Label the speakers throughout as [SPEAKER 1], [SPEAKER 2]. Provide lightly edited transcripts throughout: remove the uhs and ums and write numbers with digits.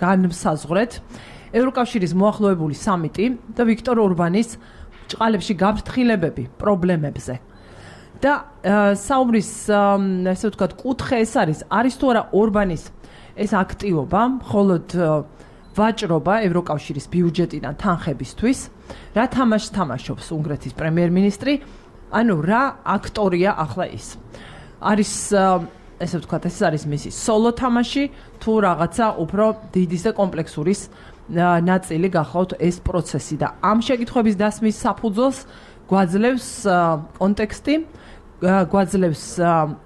[SPEAKER 1] განსაზღვრეთ ევროკავშირის მოახლოებული სამიტი და ვიქტორ ორბანის ჭყალებში გაფრთხილებები პრობლემებზე. და საუბრის ესე ვთქვათ კუთხე ეს არის თუ არა ორბანის ეს აქტივობა, მხოლოდ ვაჭრობა ევროკავშირის ბიუჯეტიდან თანხებისთვის, რა თამაშს თამაშობს უნგრეთის პრემიერ-მინისტრი, ანუ რა აქტორია ახლა ის. არის ესე ვთქვათ, ეს არის მისი სოლო თამაში, თუ რაღაცა უფრო დიდის და კომპლექსურის ნაწილი გახლავთ ეს პროცესი და ამ შეკითხვების დასმის საფუძველს გვაძლევს კონტექსტი, გვაძლევს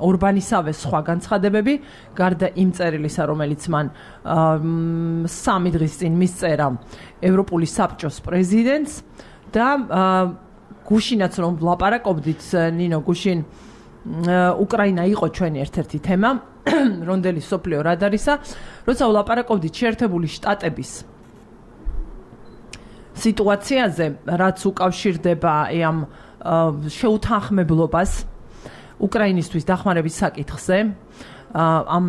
[SPEAKER 1] ორბანისავე სხვა განცხადებები, გარდა იმ წერილისა, რომელიც მან 3 დღის წინ მისწერა ევროპული საბჭოს პრეზიდენტს და გუშინაც რომ ვლაპარაკობდით, ნინო გუშინ უკრაინა იყო ჩვენი ერთ-ერთი თემა, რონდელი სოფლიო რადარისა, როცა ვლაპარაკობდით შეერთებული შტატების სიტუაციაზე, რაც უკავშირდება ამ შეუთანხმებლობას უკრაინისთვის დახმარების საკითხზე, ამ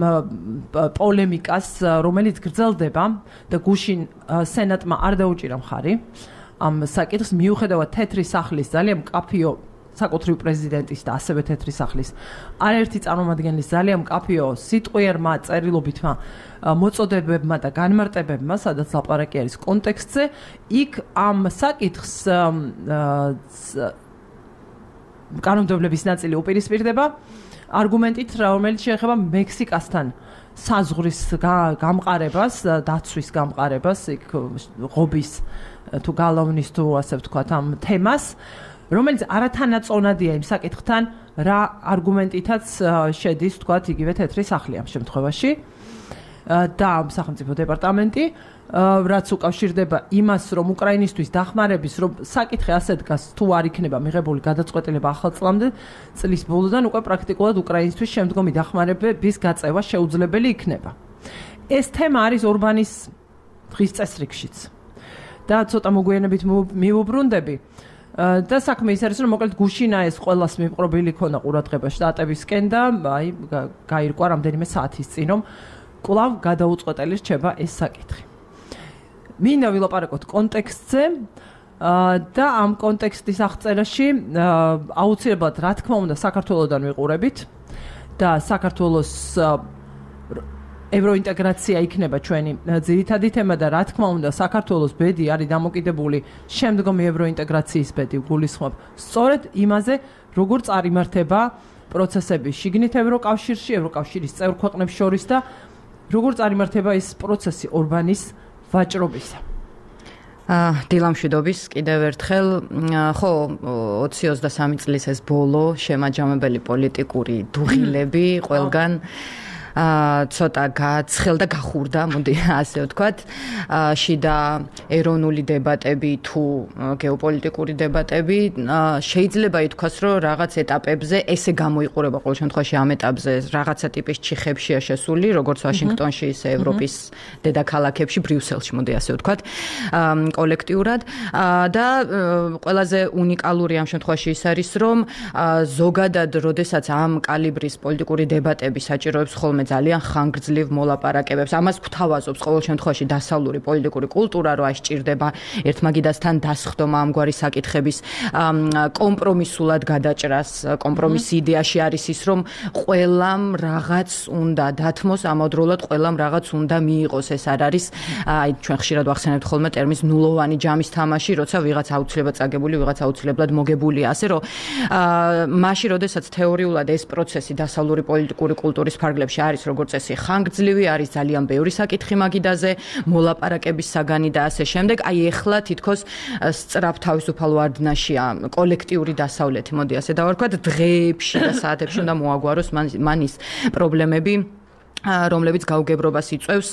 [SPEAKER 1] პოლემიკას, რომელიც გრძელდება და გუშინ სენატმა არ დაუჭირა მხარი ამ საკითხს, მიუხედავად თეთრი სახლის ძალიან მკაფიო საკუთრივ პრეზიდენტის და ასევე თეთრი სახლის არაერთი წარმომადგენლის ძალიან მკაფიო სიტყვიერმა წერილობითმა მოწოდებებმა და განმარტებებმა, სადაც ლაპარაკი არის კონტექსტზე, იქ ამ საკითხს კანონმდებლობის ნაწილი უპირისპირდება არგუმენტით, რომელიც შეეხება მექსიკასთან საზღვრის გამყარებას, დაცვის გამყარებას, იქ ღობის თუ გალავნის თუ ასე ვთქვათ ამ თემას, რომელიც არათანაწონადია იმ საკითხთან, რა არგუმენტითაც შედის, ვთქვათ, იგივე თეთრი სახლი ამ შემთხვევაში და სახელმწიფო დეპარტამენტი, რაც უკავშირდება იმას, რომ უკრაინისთვის დახმარების, რომ საკითხი ასე დგას, თუ არ იქნება მიღებული გადაწყვეტილება ახალ წლის ბოლოდან, უკვე პრაქტიკულად უკრაინისთვის შემდგომი დახმარების გაწევა შეუძლებელი იქნება. ეს თემა არის ორბანის დღის წესრიგშიც. და ცოტა მოგვიანებით მივუბრუნდები. და საქმე ის არის, რომ მოკლედ გუშინა ეს ყველას მიპყრობილი ქონა ყურადღება შტატებისკენ და აი გაირკვა რამდენიმე საათის წინ, რომ კვლავ გადაუწყვეტელი რჩება ეს საკითხი. მინდა ვილაპარაკოთ კონტექსტზე და ამ კონტექსტის აღწერაში აუცილებლად რა თქმა უნდა საქართველოსდან ვიყურებით და საქართველოს ევროინტეგრაცია იქნება ჩვენი ძირითადი თემა და რა თქმა უნდა საქართველოს ბედი არის დამოკიდებული შემდგომი ევროინტეგრაციის ბედი გულისხმობ სწორედ იმაზე როგორ წარიმართება პროცესები შიგნით ევროკავშირში, ევროკავშირის წევრ ქვეყნებს შორის და როგორ წარიმართება ეს პროცესი ორბანის ვაჭრობისა.
[SPEAKER 2] დილამშვიდობის კიდევ ერთხელ, ხო 20-23 წლის ეს ბოლო შემაჯამებელი პოლიტიკური დუღილები ყველგან ცოტა გაცხელდა, გახურდა, მოდი ასე ვთქვათ. შიდა ეროვნული დებატები თუ გეოპოლიტიკური დებატები შეიძლება ითქვას, რომ რაღაც ეტაპებზე ესე გამოიყურება ყოველ შემთხვევაში ამ ეტაპზე რაღაცა ტიპის ჩიხებშია შესული, როგორც ვაშინგტონში, ისე ევროპის დედაქალაქებში, ბრიუსელში, მოდი ასე ვთქვათ, კოლექტიურად და ყველაზე უნიკალური ამ შემთხვევაში ის არის, რომ ზოგადად, როდესაც ამ კალიბრის პოლიტიკური დებატები საჭიროებს ხოლმე ძალიან ხანგრძლივ მოლაპარაკებებს, ამას გვთავაზობს ყოველ შემთხვევაში დასავლური პოლიტიკური კულტურა, რომ ასჭირდება ერთმაგიდასთან დასხდომა ამგვარი საკითხების კომპრომისულად გადაჭრას. კომპრომისი იდეაში არის ის, რომ ყველამ რაღაც უნდა დათმოს, ამავდროულად ყველამ რაღაც უნდა მიიღოს. ეს არ არის, აი ჩვენ ხშირად ვახსენებთ ხოლმე ტერმინს ნულოვანი ჯამის თამაში, როცა ვიღაც აუცილებლად წაგებული, ვიღაც აუცილებლად მოგებულია. ასე რომ მაშინ, როდესაც თეორიულად ეს პროცესი დასავლური პოლიტიკური კულტურის ფარგლებში არის როგორც წესი ხანგრძლივი, არის ძალიან ბევრი საკითხი მაგიდაზე, მოლაპარაკების საგანი და ასე შემდეგ. აი ეხლა თითქოს სწრაფ თავისუფალ ვარდნაშია კოლექტიური დასავლეთი, მოდი ასე დავარქვათ, დღეებში და საათებში უნდა მოაგვაროს მან ის პრობლემები, რომლებიც გაუგებრობას იწვევს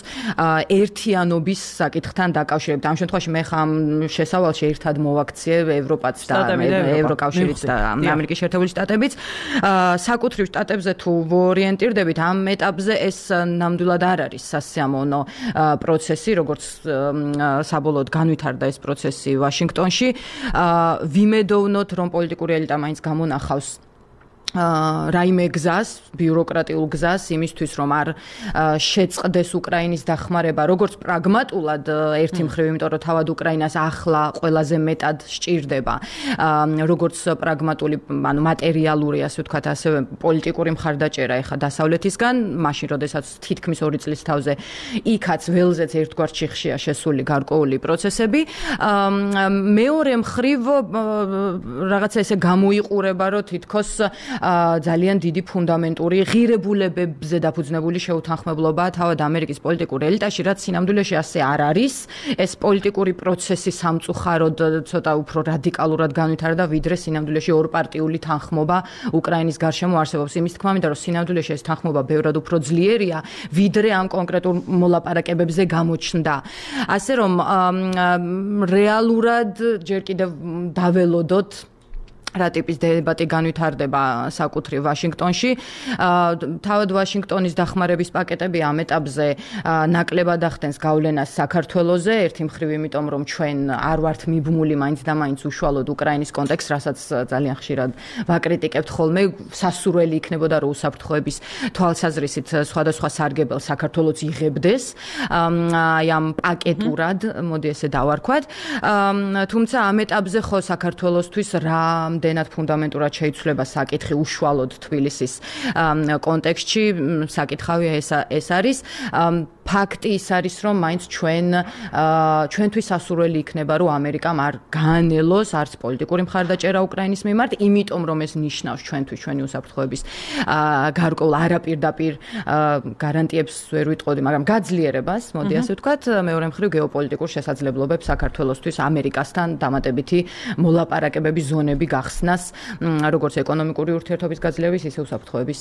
[SPEAKER 2] ერთიანობის საკითხთან დაკავშირებით. ამ შემთხვევაში მე ხამ შესავალში ერთად მოვაქციე ევროპაც და ევროკავშირიც და ამერიკის შეერთებული შტატებიც. საკუთრივ შტატებზე თუ ვორიენტირდებით, ამ ეტაპზე ეს ნამდვილად არ არის სასიამოვნო პროცესი, როგორც საბოლოოდ განვითარდა ეს პროცესი ვაშინგტონში. ვიმედოვნოთ, რომ პოლიტიკური ელიტა მაინც გამონახავს რაიმე გზას, ბიუროკრატიულ გზას იმისთვის, რომ არ შეწყდეს უკრაინის დახმარება, როგორც პრაგმატულად ერთი მხრივ, იმიტომ რომ თავად უკრაინას ახლა ყველაზე მეტად სჭირდება, როგორც პრაგმატული, ანუ მატერიალური, ასე ვთქვათ, ასევე პოლიტიკური მხარდაჭერა ეხა დასავლეთისგან, მაშინ, როდესაც თითქმის 2 წლის თავზე იქაც ველზეც ერთგვარ ჩიხშია შესული გარკვეული პროცესები. მეორე მხრივ რაღაცა ესე გამოიყურება, რომ თითქოს ძალიან დიდი ფუნდამენტური ღირებულებებზე დაფუძნებული შეუთანხმებლობა თავად ამერიკის პოლიტიკურ ელიტაში, რაც სინამდვილეში ასე არ არის. ეს პოლიტიკური პროცესი სამწუხაროდ ცოტა უფრო რადიკალურად განვითარდა, ვიდრე სინამდვილეში ორპარტიული თანხმობა უკრაინის გარშემო არსებობს. იმის თქმა მინდა, რომ სინამდვილეში ეს თანხმობა ბევრად უფრო ძლიერია, ვიდრე ამ კონკრეტულ მოლაპარაკებებზე გამოჩნდა. ასე რომ რეალურად ჯერ კიდევ დაველოდოთ რა ტიპის დებატი განვითარდება საკუთრივ ვაშინგტონში. თავად ვაშინგტონის დახმარების პაკეტები ამ ეტაპზე ნაკლებად ახდენს გავლენას საქართველოზე, ერთი მხრივ იმიტომ, რომ ჩვენ არ ვართ მიბმული მაინც და მაინც უშუალოდ უკრაინის კონტექსტს, რასაც ძალიან ხშირად ვაკრიტიკებთ ხოლმე, სასურველი იქნებოდა, რომ უსაფრთხოების თვალსაზრისით სხვადასხვა სარგებელს საქართველოც იღებდეს აი ამ პაკეტურად, მოდი ესე დავარქვათ. თუმცა ამ ეტაპზე ხო საქართველოსთვის რამდენად ფუნდამენტურად შეიცვლება საკითხი უშუალოდ თბილისის კონტექსტში, საკითხავია ეს არის. ფაქტი ის არის, რომ მაინც ჩვენთვის სასურველი იქნება, რომ ამერიკამ არ გაანელოს არც პოლიტიკური მხარდაჭერა უკრაინის მიმართ, იმიტომ რომ ეს ნიშნავს ჩვენთვის ჩვენი უსაფრთხოების გარკვეულ არაპირდაპირ გარანტიებს ვერ ვიტყოდი, მაგრამ გაძლიერებას, მოდი ასე ვთქვათ, მეორე მხრივ გეოპოლიტიკურ შესაძლებლობებს საქართველოსთვის ამერიკასთან დამატებითი მოლაპარაკებების ზონები გახსნას, როგორც ეკონომიკური ურთიერთობის გაძლიერების, ისე უსაფრთხოების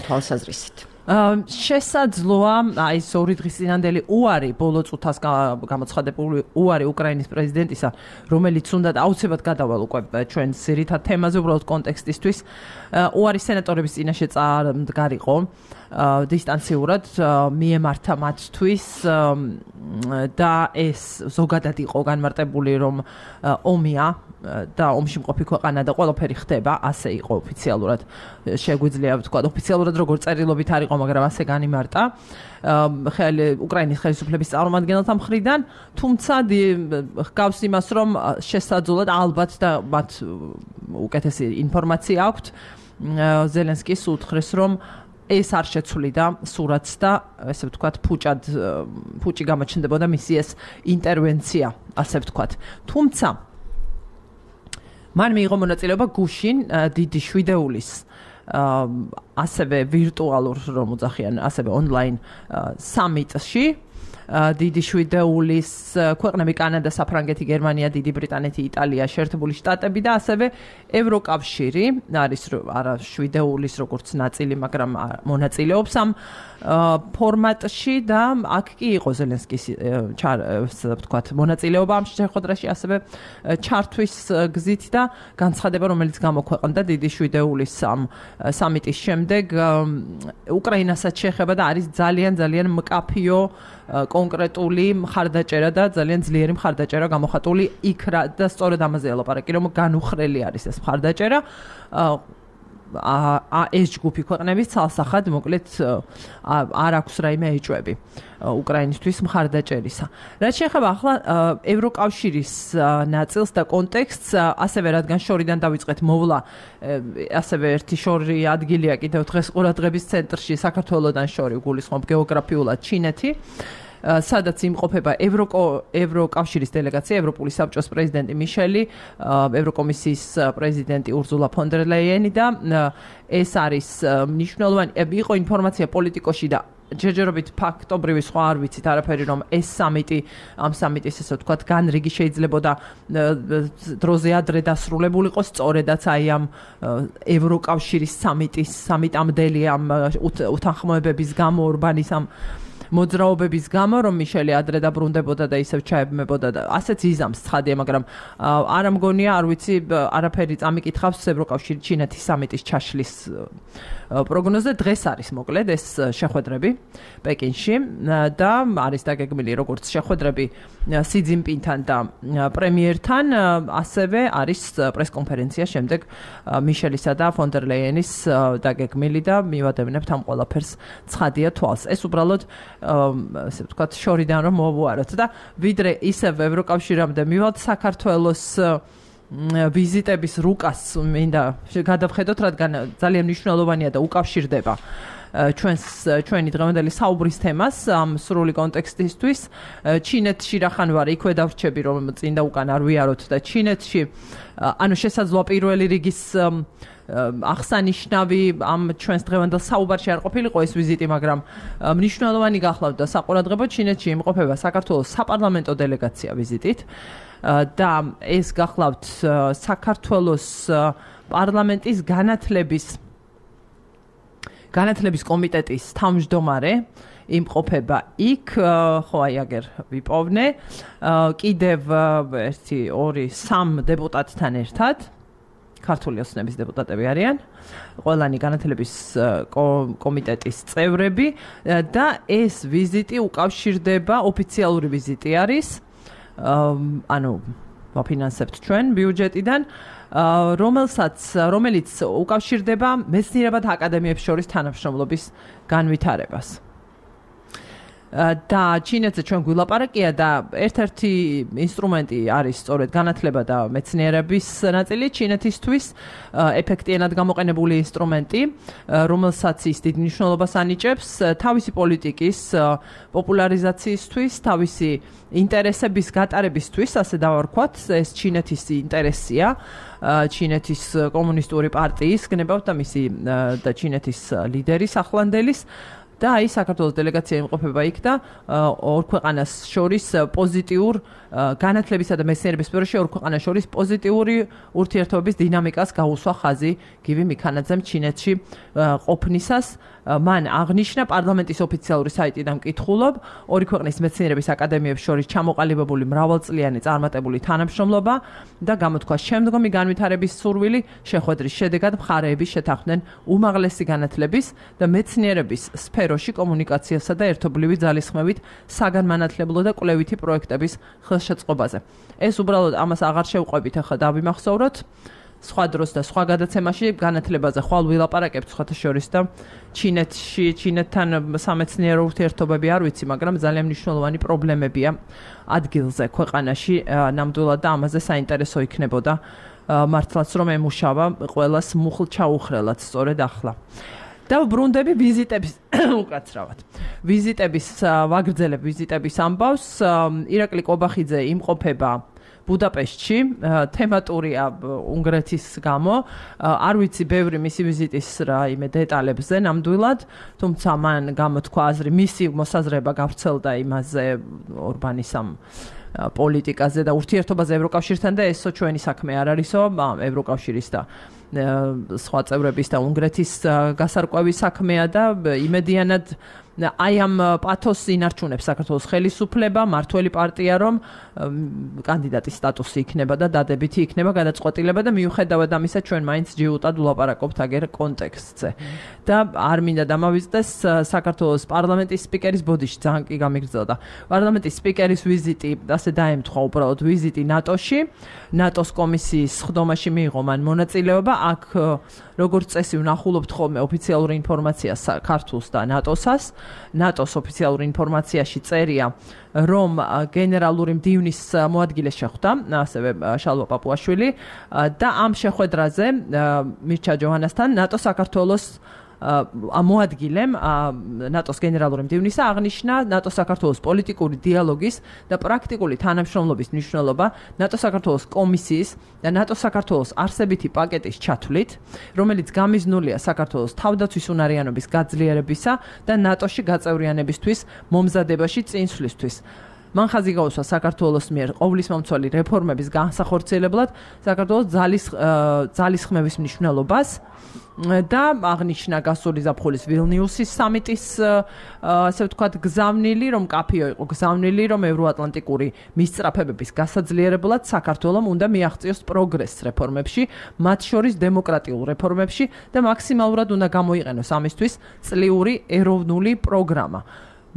[SPEAKER 2] თვალსაზრისით.
[SPEAKER 1] შესაძლოა აი ეს 2 დღის წინანდელი უარი ბოლო წუთას გამოცხადებული უარი უკრაინის პრეზიდენტისა, რომელიც უნდა აუცილებლად გადავალ უკვე ჩვენ ძირითად თემაზე, უბრალოდ კონტექსტისთვის, უარი სენატორების წინაშე წარდგარიყო დისტანციურად მიემართა მათთვის და ეს ზოგადად იყო განმარტებული, რომ ომია და ომში მყოფი ქვეყანა და ყველაფერი ხდება, ასე იყო ოფიციალურად, შეგვიძლია ვთქვა, ოფიციალურად როგორც წერილობით არ იყო, მაგრამ ასე განიმარტა უკრაინის ხელისუფლების წარმომადგენელთა მხრიდან, თუმცა ჰგავს იმას, რომ შესაძლოა ალბათ და მათ უკეთესი ინფორმაცია აქვთ, ზელენსკის უთხრეს, რომ ეს არ შეცვლიდა სურათს და ესე ვთქვათ, ფუჭი გამოჩნდებოდა მისი ეს ინტერვენცია, ასე ვთქვათ. თუმცა მან მიიღო მონაწილეობა გუშინ დიდი შვიდეულის ასევე ვირტუალურ რომ უძახიან, ასევე ონლაინ სამიტში დიდი შვიდეულის ქვეყნები კანადა, საფრანგეთი, გერმანია, დიდი ბრიტანეთი, იტალია, შეერთებული შტატები და ასევე ევროკავშირი არის არა შვიდეულის როგორც ნაწილი, მაგრამ მონაწილეობს ამ ფორმატში და აქ კი იყო ზელენსკის ვთქვათ მონაწილეობა ამ შეხვედრაში ასევე ჩართვის გზით და განცხადება რომელიც გამოქვეყნდა დიდი შვიდეულის სამიტის შემდეგ უკრაინასაც შეეხება და არის ძალიან მკაფიო კონკრეტული მხარდაჭერა და ძალიან ძლიერი მხარდაჭერა გამოხატული იქ და სწორედ ამაზე ელაპარაკი რომ განუხრელი არის ეს მხარდაჭერა ეს ჯგუფი ქვეყნების ცალსახად მოკლედ არ აქვს რაიმე ეჭვები უკრაინისთვის მხარდაჭერისა. რაც შეეხება ახლა ევროკავშირის ნაწილს და კონტექსტს, ასევე რადგან შორიდან დავიწყეთ მოვლა, ასევე ერთი შორი ადგილია კიდევ დღეს ყურადღების ცენტრში საქართველოსთან შორი გულისხმობ გეოგრაფიულად ჩინეთი. სადაც იმყოფება ევროკავშირის დელეგაცია, ევროპული საბჭოს პრეზიდენტი მიშელი, ევროკომისიის პრეზიდენტი ურზულა ფონ დერ ლაიენი და ეს არის მნიშვნელოვანი იყო ინფორმაცია პოლიტიკოში და ჯერჯერობით ფაქტობრივი სხვა არ ვიცით არაფერი რომ ეს სამიტი ამ სამიტის ესე ვთქვათ განრიგი შეიძლებოდა დროზე ადრე დასრულებულიყო სწორედაც აი ამ ევროკავშირის სამიტამდელი ამ უთანხმოებების გამო ორბანის ამ მოძრაობების გამო რომ მიშელი ადრე დაბრუნდებოდა და ისევ ჩაებმებოდა და ასეც იზამს ცხადია მაგრამ არ მგონია არ ვიცი არაფერი წამიკითხავს ევროკავშირი ჩინეთის სამიტის ჩაშლის პროგნოზე დღეს არის მოკლედ ეს შეხვედრები პეკინში და არის დაგეგმილი როგორც შეხვედრები სი ძინპინთან და პრემიერთან ასევე არის პრესკონფერენცია შემდეგ მიშელისა და ფონ დერ ლაიენის დაგეგმილი და მივადევნებთ ამ ყველაფერს ცხადია თვალს ეს უბრალოდ ასე ვთქვათ შორიდან რომ მოვუაროთ და ვიდრე ისევ ევროკავშირამდე მივალთ საქართველოს ვიზიტების რუკას მინდა გადავხედოთ რადგან ძალიან მნიშვნელოვანია და უკავშირდება ჩვენი დღევანდელი საუბრის თემას ამ სრული კონტექსტისთვის ჩინეთში რახან ვარ იქვე დავრჩები რომ წინ და უკან არ ვიაროთ და ჩინეთში ანუ შესაძლოა პირველი რიგის აღსანიშნავი ამ ჩვენს დღევანდელ საუბარში არ ყოფილიყო ეს ვიზიტი, მაგრამ მნიშვნელოვანი გახლავდა საყურადღებო ჩინეთში იმყოფება საქართველოს საპარლამენტო დელეგაცია ვიზიტით და ეს გახლავთ საქართველოს პარლამენტის განათლების კომიტეტის თავმჯდომარე იმყოფება იქ, ხო აი აგერ ვიპოვნე, კიდევ 1, 2, 3 დეპუტატთან ერთად ქართული ოცნების დეპუტატები არიან, ყველანი განათლების კომიტეტის წევრები და ეს ვიზიტი უკავშირდება ოფიციალური ვიზიტი არის, ანუ ვაფინანსებთ ჩვენ ბიუჯეტიდან, რომელიც უკავშირდება მეცნიერებათა აკადემიებს შორის თანამშრომლობის განვითარებას. და ჩინეთზე ჩვენ გვილაპარაკია და ერთ-ერთი ინსტრუმენტი არის სწორედ განათლება და მეცნიერების ნაწილი ჩინეთისთვის ეფექტიანად გამოყენებული ინსტრუმენტი რომელსაც ის დიდ მნიშვნელობას ანიჭებს თავისი პოლიტიკის პოპულარიზაციისთვის, თავისი ინტერესების გატარებისთვის, ასე დავარქვათ, ეს ჩინეთის ინტერესია ჩინეთის კომუნისტური პარტიის გნებავთ და მისი და ჩინეთის ლიდერის ახლანდელის და აი საქართველოს დელეგაცია იმყოფება იქ და ორ ქვეყანას შორის პოზიტიურ განათლებისა და მეცნიერების სფეროში ორ ქვეყანას შორის პოზიტიური ურთიერთობების დინამიკას გაუსვა ხაზი გივი მიქანაძემ ჩინეთში ყოფნისას მან აღნიშნა პარლამენტის ოფიციალური საიტიდან მკითხულობ ორი ქვეყნის მეცნიერების აკადემიებს შორის ჩამოყალიბებული მრავალწლიანი წარმატებული თანამშრომლობა და გამოთქვა შემდგომი განვითარების სურვილი შეხვედრის შედეგად მხარეები შეთანხმდნენ უმაღლესი განათლების და მეცნიერების სფეროში კომუნიკაციასა და ერთობლივი ძალისხმევით საგანმანათლებლო და კვლევითი პროექტების ხელშეწყობაზე. ეს უბრალოდ ამას აღარ შევყვებით ახლა დავიმახსოვროთ. სხვა დროს და სხვა გადაცემაში განათლებაზე ხვალ ვილაპარაკებთ სხვათა შორის და ჩინეთთან სამეცნიერო ურთიერთობები არ ვიცი, მაგრამ ძალიან მნიშვნელოვანი პრობლემებია ადგილზე ქვეყანაში ნამდვილად და ამაზე საინტერესო იქნებოდა მართლაც რომ ემუშავა ყველას მუხლ ჩაუხრელად სწორედ ახლა. და ბრუნდები ვიზიტების უკაცრავად. ვიზიტების ვაგრძელებ ვიზიტების ამბავს ირაკლი კობახიძე იმყოფება ბუდაპეშტში, თემატურია უნგრეთის გამო. არ ვიცი ბევრი მისი ვიზიტის რაიმე დეტალებზე ნამდვილად, თუმცა მან გამოთქვა აზრი, მისი მოსაზრება გავრცელდა იმაზე ორბანის ამ პოლიტიკაზე და ურთიერთობაზე ევროკავშირთან და ესო ჩვენი საქმე არ არისო, ევროკავშირის და სხვა წევრების და უნგრეთის გასარკვევის საქმეა და იმედიანად აი ამ პათოსს ინარჩუნებს საქართველოს ხელისუფლება, მართველი პარტია, რომ კანდიდატის სტატუსი იქნება და დადებითი იქნება გადაწყვეტილება და მიუხედავად ამისა ჩვენ მაინც ჯიუტად ვლაპარაკობთ აგერ კონტექსტზე. და არ მინდა დამავიწყდეს საქართველოს პარლამენტის სპიკერის ბოდიში ძალიან კი გამიგრძელდა. პარლამენტის სპიკერის ვიზიტი, ასე დაემთხვა უბრალოდ ვიზიტი ნატოში, ნატოს კომისიის სხდომაში მიიღო მან მონაწილეობა. აქ როგორც წესი ვნახულობთ ხოლმე ოფიციალური ინფორმაცია საქართველოს და ნატოსას. ნატოს ოფიციალურ ინფორმაციაში წერია, რომ გენერალური მდივნის მოადგილე შეხვდა, ასევე შალვა პაპუაშვილი და ამ შეხვედრაზე მირჩა ჯოჰანასთან ნატო საქართველოს მოადგილემ ნატოს გენერალური მდივნისა აღნიშნა ნატო საქართველოს პოლიტიკური დიალოგის და პრაქტიკული თანამშრომლობის მნიშვნელობა ნატო საქართველოს კომისიის და ნატო საქართველოს არსებითი პაკეტის ჩათვლით, რომელიც გამიზნულია საქართველოს თავდაცვის უნარიანობის გაძლიერებისა და ნატოში გაწევრიანებისთვის მომზადებაში წინსვლისთვის. მან ხაზი გაუსვა საქართველოს მიერ ყოვლისმომცველი რეფორმების განსახორციელებლად საქართველოს ძალისხმევის მნიშვნელობას და აღნიშნა გასული ზაფხულის ვილნიუსის სამიტის ასე ვთქვათ გზავნილი, რომ კაფიო იყო გზავნილი, რომ ევროატლანტიკური მისწრაფებების გასაძლიერებლად საქართველოს უნდა მიაღწიოს პროგრესს რეფორმებში, მათ შორის დემოკრატიულ რეფორმებში და მაქსიმალურად უნდა გამოიყენოს ამისთვის წლიური ეროვნული პროგრამა.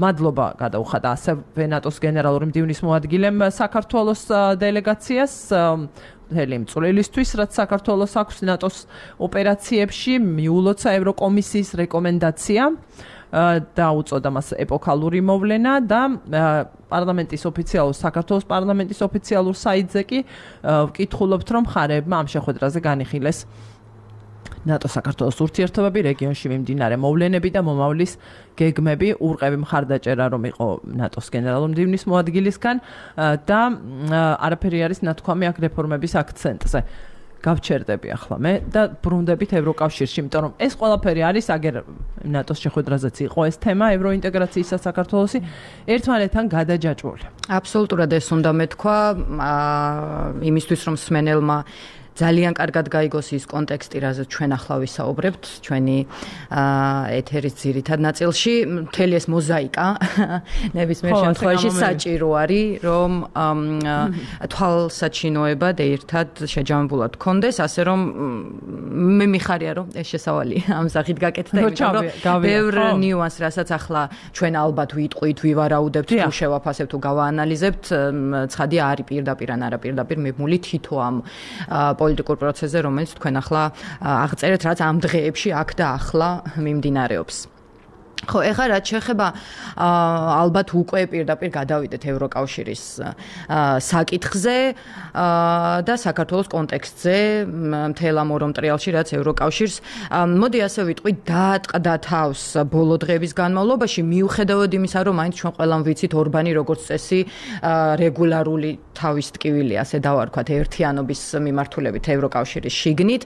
[SPEAKER 1] მადლობა გადაუხადა ასევე ნატოს გენერალური მდივნის მოადგილემ საქართველოს დელეგაციას მთელი წვლილისთვის, რაც საქართველოს აქვს ნატოს ოპერაციებში, მიულოცა ევროკომისიის რეკომენდაცია და უწოდა მას ეპოქალური მოვლენა და პარლამენტის ოფიციალურ საქართველოს პარლამენტის ოფიციალურ საიტზე კი ვკითხულობთ, რომ მხარეებმა ამ შეხვედრაზე განიხილეს ნატო საქართველოს ურთიერთობები, რეგიონში მიმდინარე მოვლენები და მომავლის გეგმები, ურყევი მხარდაჭერა რომ იყო ნატოს გენერალურ მდივნის მოადგილისგან და არაფერი არის ნათქვამი აქ რეფორმების აქცენტზე. გავჩერდები ახლა მე და ბრუნდებით ევროკავშირში, იმიტომ რომ ეს ყველაფერი არის აგერ ნატოს შეხვედრაზეც იყო ეს თემა ევროინტეგრაციისა საქართველოსი ერთმანეთთან გადაჯაჭვული.
[SPEAKER 2] აბსოლუტურად ეს უნდა მეთქვა იმისთვის რომ სმენელმა ძალიან კარგად გაიგოს ის კონტექსტი, რაზეც ჩვენ ახლა ვისაუბრებთ, ჩვენი ეთერის ძირითად ნაწილში, მთელი ეს მოზაიკა ნებისმიერ შემთხვევაში საჭირო არის, რომ თვალსაჩინოებად ერთად შეჯამებულად გქონდეს, ასე რომ მე მიხარია, რომ ეს შესავალი ამ სახით გაკეთდა, იმიტომ რომ ბევრ ნიუანს, რასაც ახლა ჩვენ ალბათ ვიტყვით, ვივარაუდებთ, თუ შევაფასებთ, თუ გავაანალიზებთ, ცხადია არის პირდაპირ ან არაპირდაპირ მიბმული თითო ამ პოლიტიკურ პროცესზე, რომელიც თქვენ ახლა აღწერეთ, რაც ამ დღეებში აქ და ახლა მიმდინარეობს. ხო, ეხლა რაც შეეხება ალბათ უკვე პირდაპირ გადავიდეთ ევროკავშირის საკითხზე და საქართველოს კონტექსტზე, მთელ ამ ორ მტრიალში, რაც ევროკავშირს, მოდი ასე ვიტყვი, დაატყდა თავს ბოლო დღეების განმავლობაში, მიუხედავად იმისა, რომ მაინც ჩვენ ყველამ ვიცით ორბანი როგორც წესი რეგულარული თავის ტკივილი, ასე დავარქვათ, ერთიანობის მიმართულებით ევროკავშირის შიგნით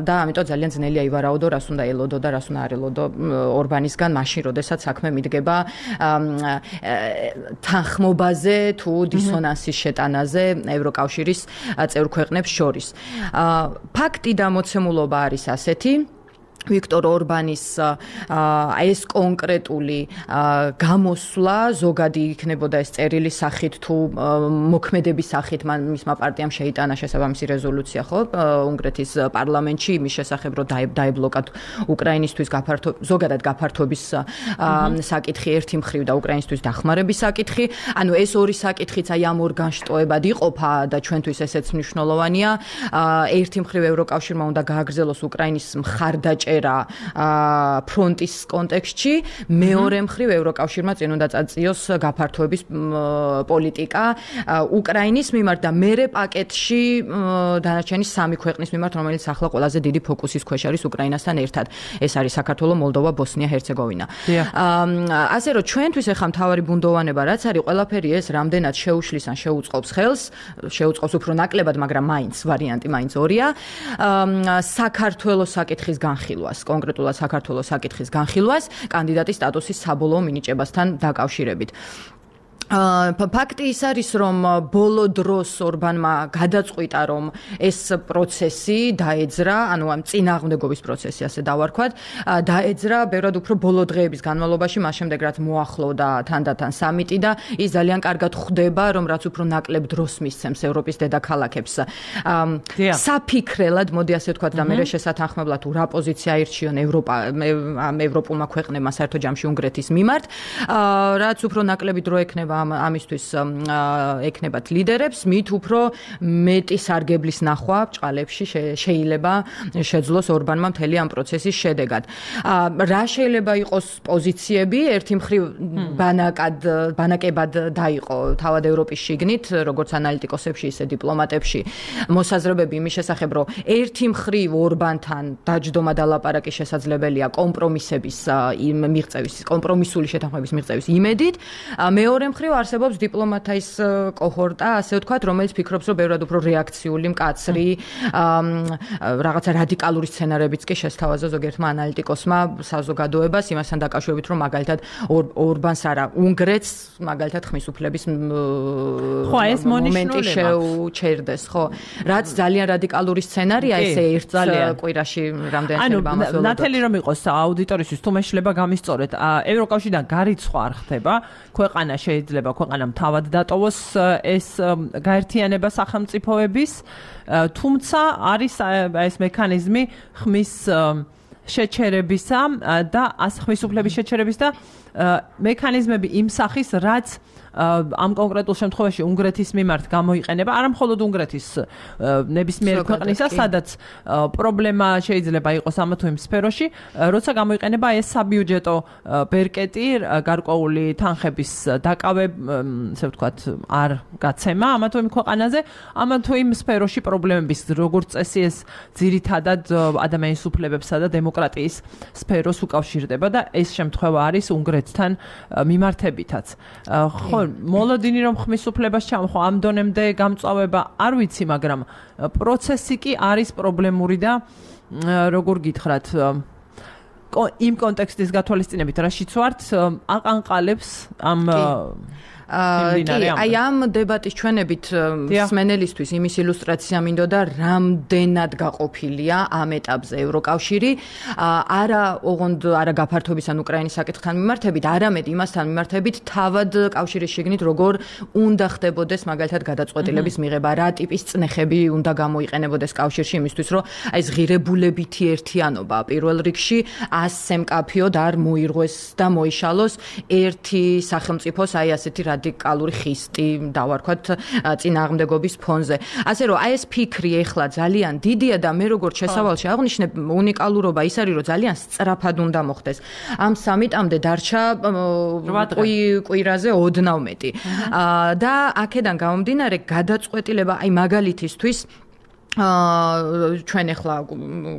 [SPEAKER 2] და ამიტომ ძალიან ძნელია ივარაუდო, რას უნდა ელოდო და რას უნდა არ ელოდო ორბანისგან მაშინ, როდესაც საქმე მიდგება თანხმობაზე თუ დისონანსის შეტანაზე ევროკავშირის წევრ ქვეყნებს შორის. ფაქტი და მოცემულობა არის ასეთი. ვიქტორ ორბანის ეს კონკრეტული გამოსვლა ზოგადი იქნებოდა ეს წერილი სახით თუ მოქმედების სახით მისმა პარტიამ შეიტანა შესაბამისი რეზოლუცია ხო უნგრეთის პარლამენტში იმის შესახებ რომ დაიბლოკა უკრაინისთვის ზოგადად გაფართოების საკითხი ერთი მხრივ და უკრაინისთვის დახმარების საკითხი. ანუ ეს ორი საკითხიც აი ამ ორ განშტოებად იყოფა და ჩვენთვის ესეც მნიშვნელოვანია. ერთი მხრივ ევროკავშირმა უნდა გააგრძელოს უკრაინის მხარდაჭერა დაუჭერა ფრონტის კონტექსტში, მეორე მხრივ ევროკავშირმა წინ უნდა წაწიოს გაფართოების პოლიტიკა უკრაინის მიმართ და მერე პაკეტში დანარჩენი 3 ქვეყნის მიმართ, რომელიც ახლა ყველაზე დიდი ფოკუსის ქვეშ არის უკრაინასთან ერთად. ეს არის საქართველო, მოლდოვა, ბოსნია, ჰერცეგოვინა. ასე რომ ჩვენთვის ახლა მთავარი ბუნდოვანება რაც არის, ყველაფერი ეს რამდენად შეუშლის ან შეუწყობს ხელს, შეუწყობს უფრო ნაკლებად, მაგრამ მაინც ვარიანტი მაინც ორია. საქართველოს საკითხის განხილვას, კონკრეტულად საქართველოს საკითხის განხილვას კანდიდატის სტატუსის საბოლოო მინიჭებასთან დაკავშირებით. ფაქტი ის არის, რომ ბოლო დროს ორბანმა გადაწყვიტა, რომ ეს პროცესი დაეძრა, ანუ ამ წინააღმდეგობის პროცესი, ასე დავარქვათ, დაეძრა ბევრად უფრო ბოლო დღეების განმავლობაში, მას შემდეგ რაც მოახლოვდა თანდათან სამიტი და ის ძალიან კარგად ხვდება, რომ რაც უფრო ნაკლებ დროს მისცემს ევროპის დედაქალაქებს. საფიქრელად, მოდი ასე ვთქვათ და მე შესათანხმებლად თუ რა პოზიცია აირჩიონ ევროპულმა ქვეყნებმა საერთო ჯამში უნგრეთის მიმართ, რაც უფრო ნაკლები დრო ექნება ამისთვის ეკნებათ ლიდერებს, მით უფრო მეტი სარგებლის ნახვა ბჭყალებში შეიძლება შეძლოს ორბანმა მთელი ამ პროცესის შედეგად. რა შეიძლება იყოს პოზიციები, ერთი მხრივ ბანაკებად დაიყო თავად ევროპის შიგნით, როგორც ანალიტიკოსებში, ისე დიპლომატებში, მოსაზრებები იმის შესახებ, რომ ერთი მხრივ ორბანთან დაჯდომა და ლაპარაკი შესაძლებელია კომპრომისების მიღწევის, კომპრომისული შეთანხმების მიღწევის იმედით, მეორე მხრივ არსებობს დიპლომატის კოჰორტა, ასე ვთქვათ, რომელიც ფიქრობს, რომ ბევრად უფრო რეაქციული, მკაცრი, რაღაცა რადიკალური სცენარებიც კი შესთავაზა ზოგიერთმა ანალიტიკოსმა საზოგადოებას იმასთან დაკავშირებით, რომ მაგალითად ორბანს არა, უნგრეთს მაგალითად ხმის უფლების მომენტი შეუჩერდეს, ხო? რაც ძალიან რადიკალური სცენარია, ესე ერთ კვირაში რამდენი შეიძლება ამას ველოდოთ.
[SPEAKER 1] ნათელი რომ იყოს აუდიტორისთვის თუ მეშლება გამისწორეთ, ევროკავშირიდან გარიცხვა არ ხდება, ქვეყანა შეიძლება ქვეყანამ თავად დატოვოს ეს გაერთიანება სახელმწიფოების, თუმცა არის ეს მექანიზმი ხმის შეჩერებისა და ხმის უფლების შეჩერების და მექანიზმები იმ სახის, რაც ამ კონკრეტულ შემთხვევაში უნგრეთის მიმართ გამოიყენება, არა მხოლოდ უნგრეთის ნებისმიერ ქვეყნისა, სადაც პრობლემა შეიძლება იყოს ამა თუ იმ სფეროში, როცა გამოიყენება ეს საბიუჯეტო ბერკეტი, გარკვეული თანხების ასე ვთქვათ, არ გაცემა ამა თუ იმ ქვეყანაზე, ამა თუ იმ სფეროში პრობლემების, როგორც წესი ეს ძირითადად ადამიანის უფლებებსა და დემოკრატიის სფეროს უკავშირდება და ეს შემთხვევა არის უნგრეთთან მიმართებითაც. ხო, მოლოდინი რომ ხმის უფლებას ჩამოხო ამ დონემდე გამწვავება არ ვიცი, მაგრამ პროცესი კი არის პრობლემური და როგორ გითხრათ, იმ კონტექსტის გათვალისწინებით რაშიც ვართ, აყანყალებს ამ
[SPEAKER 2] აი ამ დებატის ჩვენებით მსმენელისთვის იმის ილუსტრაცია მინდოდა, რამდენად გაყოფილია ამ ეტაპზე ევროკავშირი, არა გაფართოების ან უკრაინის საკითხთან მიმართებით, არამედ იმასთან მიმართებით თავად კავშირის შიგნით როგორ უნდა ხდებოდეს მაგალითად გადაწყვეტილების მიღება, რა ტიპის წნეხები უნდა გამოიყენებოდეს კავშირში იმისთვის, რომ აი ეს ღირებულებითი ერთიანობა პირველ რიგში ასე მკაფიოდ არ მოირღვეს და მოიშალოს ერთი სახელმწიფოს აი ასეთი რადიკალური ხისტი დავარქვათ წინააღმდეგობის ფონზე. ასე რომ აი ეს ფიქრი ეხლა ძალიან დიდია და მე როგორც შესავალში აღნიშნებ, უნიკალურობა ის არის, რომ ძალიან სწრაფად უნდა მოხდეს. ამ სამიტამდე დარჩა კვირაზე 12 და აქედან გამომდინარე გადაწყვეტილება აი მაგალითისთვის ჩვენ ახლა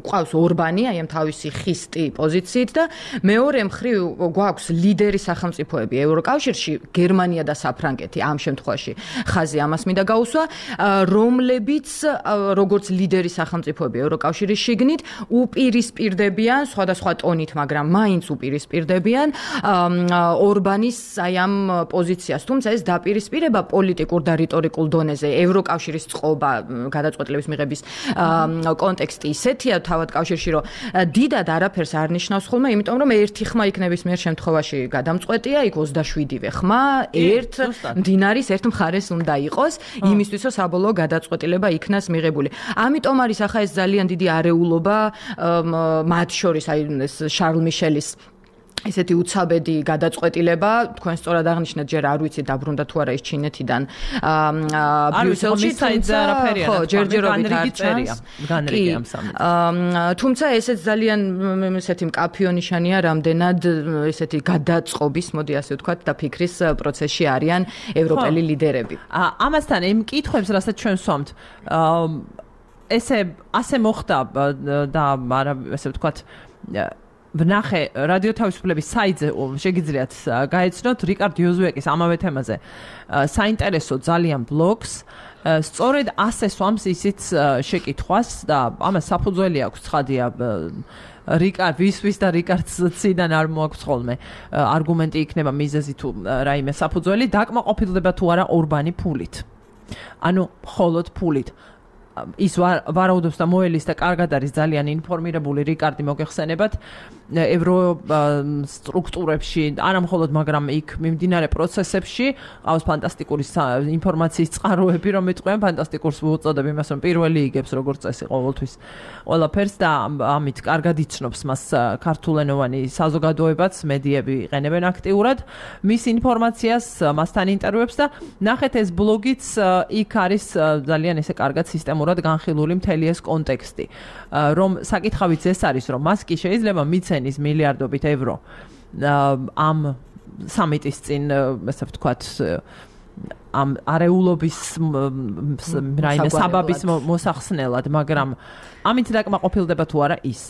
[SPEAKER 2] ყავს ორბანი აი ამ თავისი ხისტი პოზიციით და მეორე მხრივ გვაქვს ლიდერი სახელმწიფოები ევროკავშირში, გერმანია და საფრანგეთი ამ შემთხვევაში ხაზი ამას მინდა გაუსვა, რომლებიც როგორც ლიდერი სახელმწიფოები ევროკავშირის შიგნით უპირისპირდებიან სხვადასხვა ტონით, მაგრამ მაინც უპირისპირდებიან ორბანის აი ამ პოზიციას, თუმცა ეს დაპირისპირება პოლიტიკურ და რიტორიკულ დონეზე ევროკავშირის წყობა გადაწყვეტილების მიღების კონტექსტი ისეთია თავად კავშირში, რომ დიდად არაფერს არ ნიშნავს ხოლმე, იმიტომ რომ ერთი ხმა იქნების მიერ შემთხვევაში გადამწყვეტია, იქ 27-ვე ხმა ერთ მდინარის ერთ მხარეს უნდა იყოს, იმისთვის რომ საბოლოო გადაწყვეტილება იქნას მიღებული. ამიტომ არის ახლა ეს ძალიან დიდი არეულობა მათ შორის, აი ეს შარლ მიშელის ესეთი უცაბედი გადაწყვეტილება თქვენ სწორად აღნიშნეთ ჯერ არ ვიცი დაბრუნდა თუ არა ის ჩინეთიდან ბრიუსელში
[SPEAKER 1] ხო
[SPEAKER 2] ჯერჯერობით არ წერია
[SPEAKER 1] განრიგე ამ სამით
[SPEAKER 2] თუმცა ესეც ძალიან ესეთი მკაფიო ნიშანია რამდენად ესეთი გადაწყობის მოდი ასე ვთქვათ და ფიქრის პროცესში არიან ევროპელი ლიდერები
[SPEAKER 1] ამასთან იმ კითხვებს რასაც ჩვენ ვსვამთ ასე მოხდა და არა ასე ვთქვათ ვნახე რადიო თავისუფლების საიტზე შეგიძლიათ გაეცნოთ რიკარდ იოზუეკის ამავე თემაზე საინტერესო ძალიან ბლოგს სწორედ ასე სვამს ისიც შეკითხვას და ამას საფუძველი აქვს ცხადია რიკარდ ვის და რიკარდს ციდან არ მოაქვს ხოლმე არგუმენტი იქნება მიზეზი თუ რაიმე საფუძველი დაკმაყოფილდება თუ არა ორბანი ფულით ანუ მხოლოდ ფულით ის ვარაუდობს და მოელის და კარგად არის ძალიან ინფორმირებული რიკარდი მოგეხსენებათ ევრო სტრუქტურებში არა მხოლოდ მაგრამ იქ მიმდინარე პროცესებში ყავს ფანტასტიკური ინფორმაციის წყაროები რომ იტყვიან ფანტასტიკურს უწოდებ იმას რომ პირველი იგებს როგორც წესი ყოველთვის ყველაფერს და ამით კარგად იცნობს მას ქართულენოვანი საზოგადოებაც მედიები იყენებენ აქტიურად მის ინფორმაციას მასთან ინტერვიუებს და ნახეთ ეს ბლოგიც იქ არის ძალიან ესე კარგად სისტემურად განხილული მთელი ეს კონტექსტი რომ საკითხავიც ეს არის რომ მას კი შეიძლება მიცენის მილიარდობით ევრო ამ სამიტის წინ ასე ვთქვათ ამ არეულობის რაიმე საბაბის მოსახსნელად მაგრამ ამით დაკმაყოფილდება თუ არა ის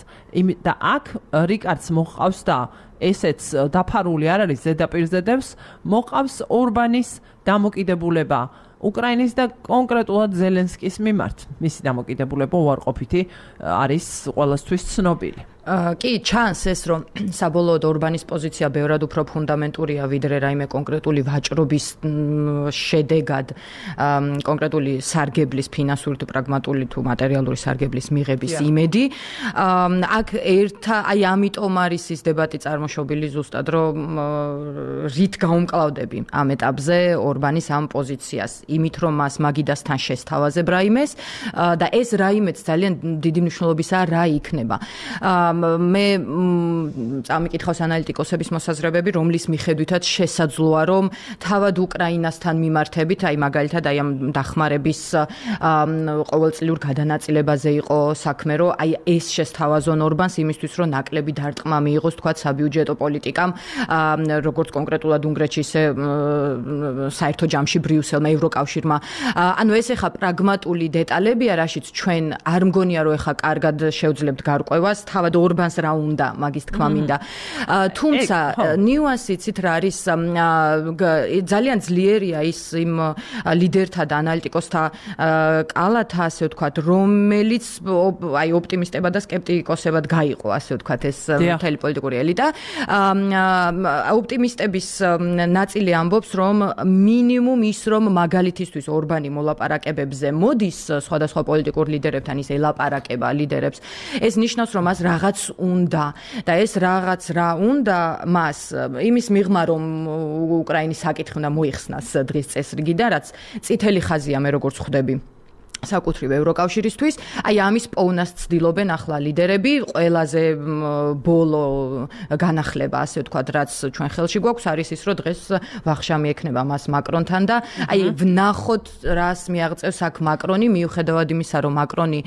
[SPEAKER 1] და აქ რიკარდს მოყავს და ესეც დაფარული არ არის ზედაპირზე დევს მოყავს ორბანის დამოკიდებულება უკრაინის და კონკრეტულად ზელენსკის მიმართ მისი დამოკიდებულება უარყოფითი არის ყველასთვის ცნობილი
[SPEAKER 2] კი ჩანს ეს რომ საბოლოოდ ორბანის პოზიცია ბევრად უფრო ფუნდამენტურია ვიდრე რაიმე კონკრეტული ვაჭრობის შედეგად კონკრეტული სარგებლის ფინანსური თუ პრაგმატული თუ მატერიალური სარგებლის მიღების იმედი აქ აი ამიტომ არის ის დებატი წარმოშობილი ზუსტად რომ რით გაუმკლავდები ამ ეტაპზე ორბანის ამ პოზიციას იმით რომ მას მაგიდასთან შესთავაზებ რაიმეს და ეს რაიმეც ძალიან დიდი მნიშვნელობისაა რა იქნება მე წამიკითხავს ანალიტიკოსების მოსაზრებები, რომლის მიხედვითაც შესაძლოა, რომ თავად უკრაინასთან მიმართებით, აი მაგალითად აი ამ დახმარების ყოველწლიურ გადანაწილებაზე იყო საქმე, რომ აი ეს შესთავაზონ ორბანს იმისთვის, რომ ნაკლები დარტყმა მიიღოს, თქვათ, საბიუჯეტო პოლიტიკამ, როგორც კონკრეტულად უნგრეთში, ისე საერთო ჯამში ბრიუსელმა, ევროკავშირმა. ანუ ეს ეხა პრაგმატული დეტალებია, რაშიც ჩვენ არ მგონია, რომ ეხა კარგად შევძლებთ გარკვევას, თავად ორბანს რა უნდა მაგის თქმა მინდა. თუმცა ნიუანსი ცით რა არის ძალიან ძლიერია ის იმ ლიდერთა და ანალიტიკოსთა კალათა, ასე ვთქვათ, რომელიც აი ოპტიმისტებად და სკეპტიკოსებად გაიყო, ასე ვთქვათ, ეს მთელი პოლიტიკური ელიტა. ოპტიმისტების ნაწილი ამბობს, რომ მინიმუმ ის რომ მაგალითისთვის ორბანი მოლაპარაკებებზე მოდის სხვადასხვა პოლიტიკურ ლიდერებთან ის ელაპარაკება ლიდერებს. ეს ნიშნავს, რომ მას რაღაც უნდა და ეს რაღაც რა უნდა მას იმის მიღმა რომ უკრაინის საკითხი უნდა მოიხსნას დღის წესრიგიდან, რაც წითელი ხაზია მე როგორც ხვდები. საკუთრივ ევროკავშირისთვის, აი ამის პოვნას ცდილობენ ახლა ლიდერები, ყველაზე ბოლო განახლება, ასე ვთქვათ, რაც ჩვენ ხელში გვაქვს, არის ის, რომ დღეს ვახშამი ექნება მას მაკრონთან და აი ვნახოთ, რას მიაღწევს აქ მაკრონი, მიუხედავად იმისა, რომ მაკრონი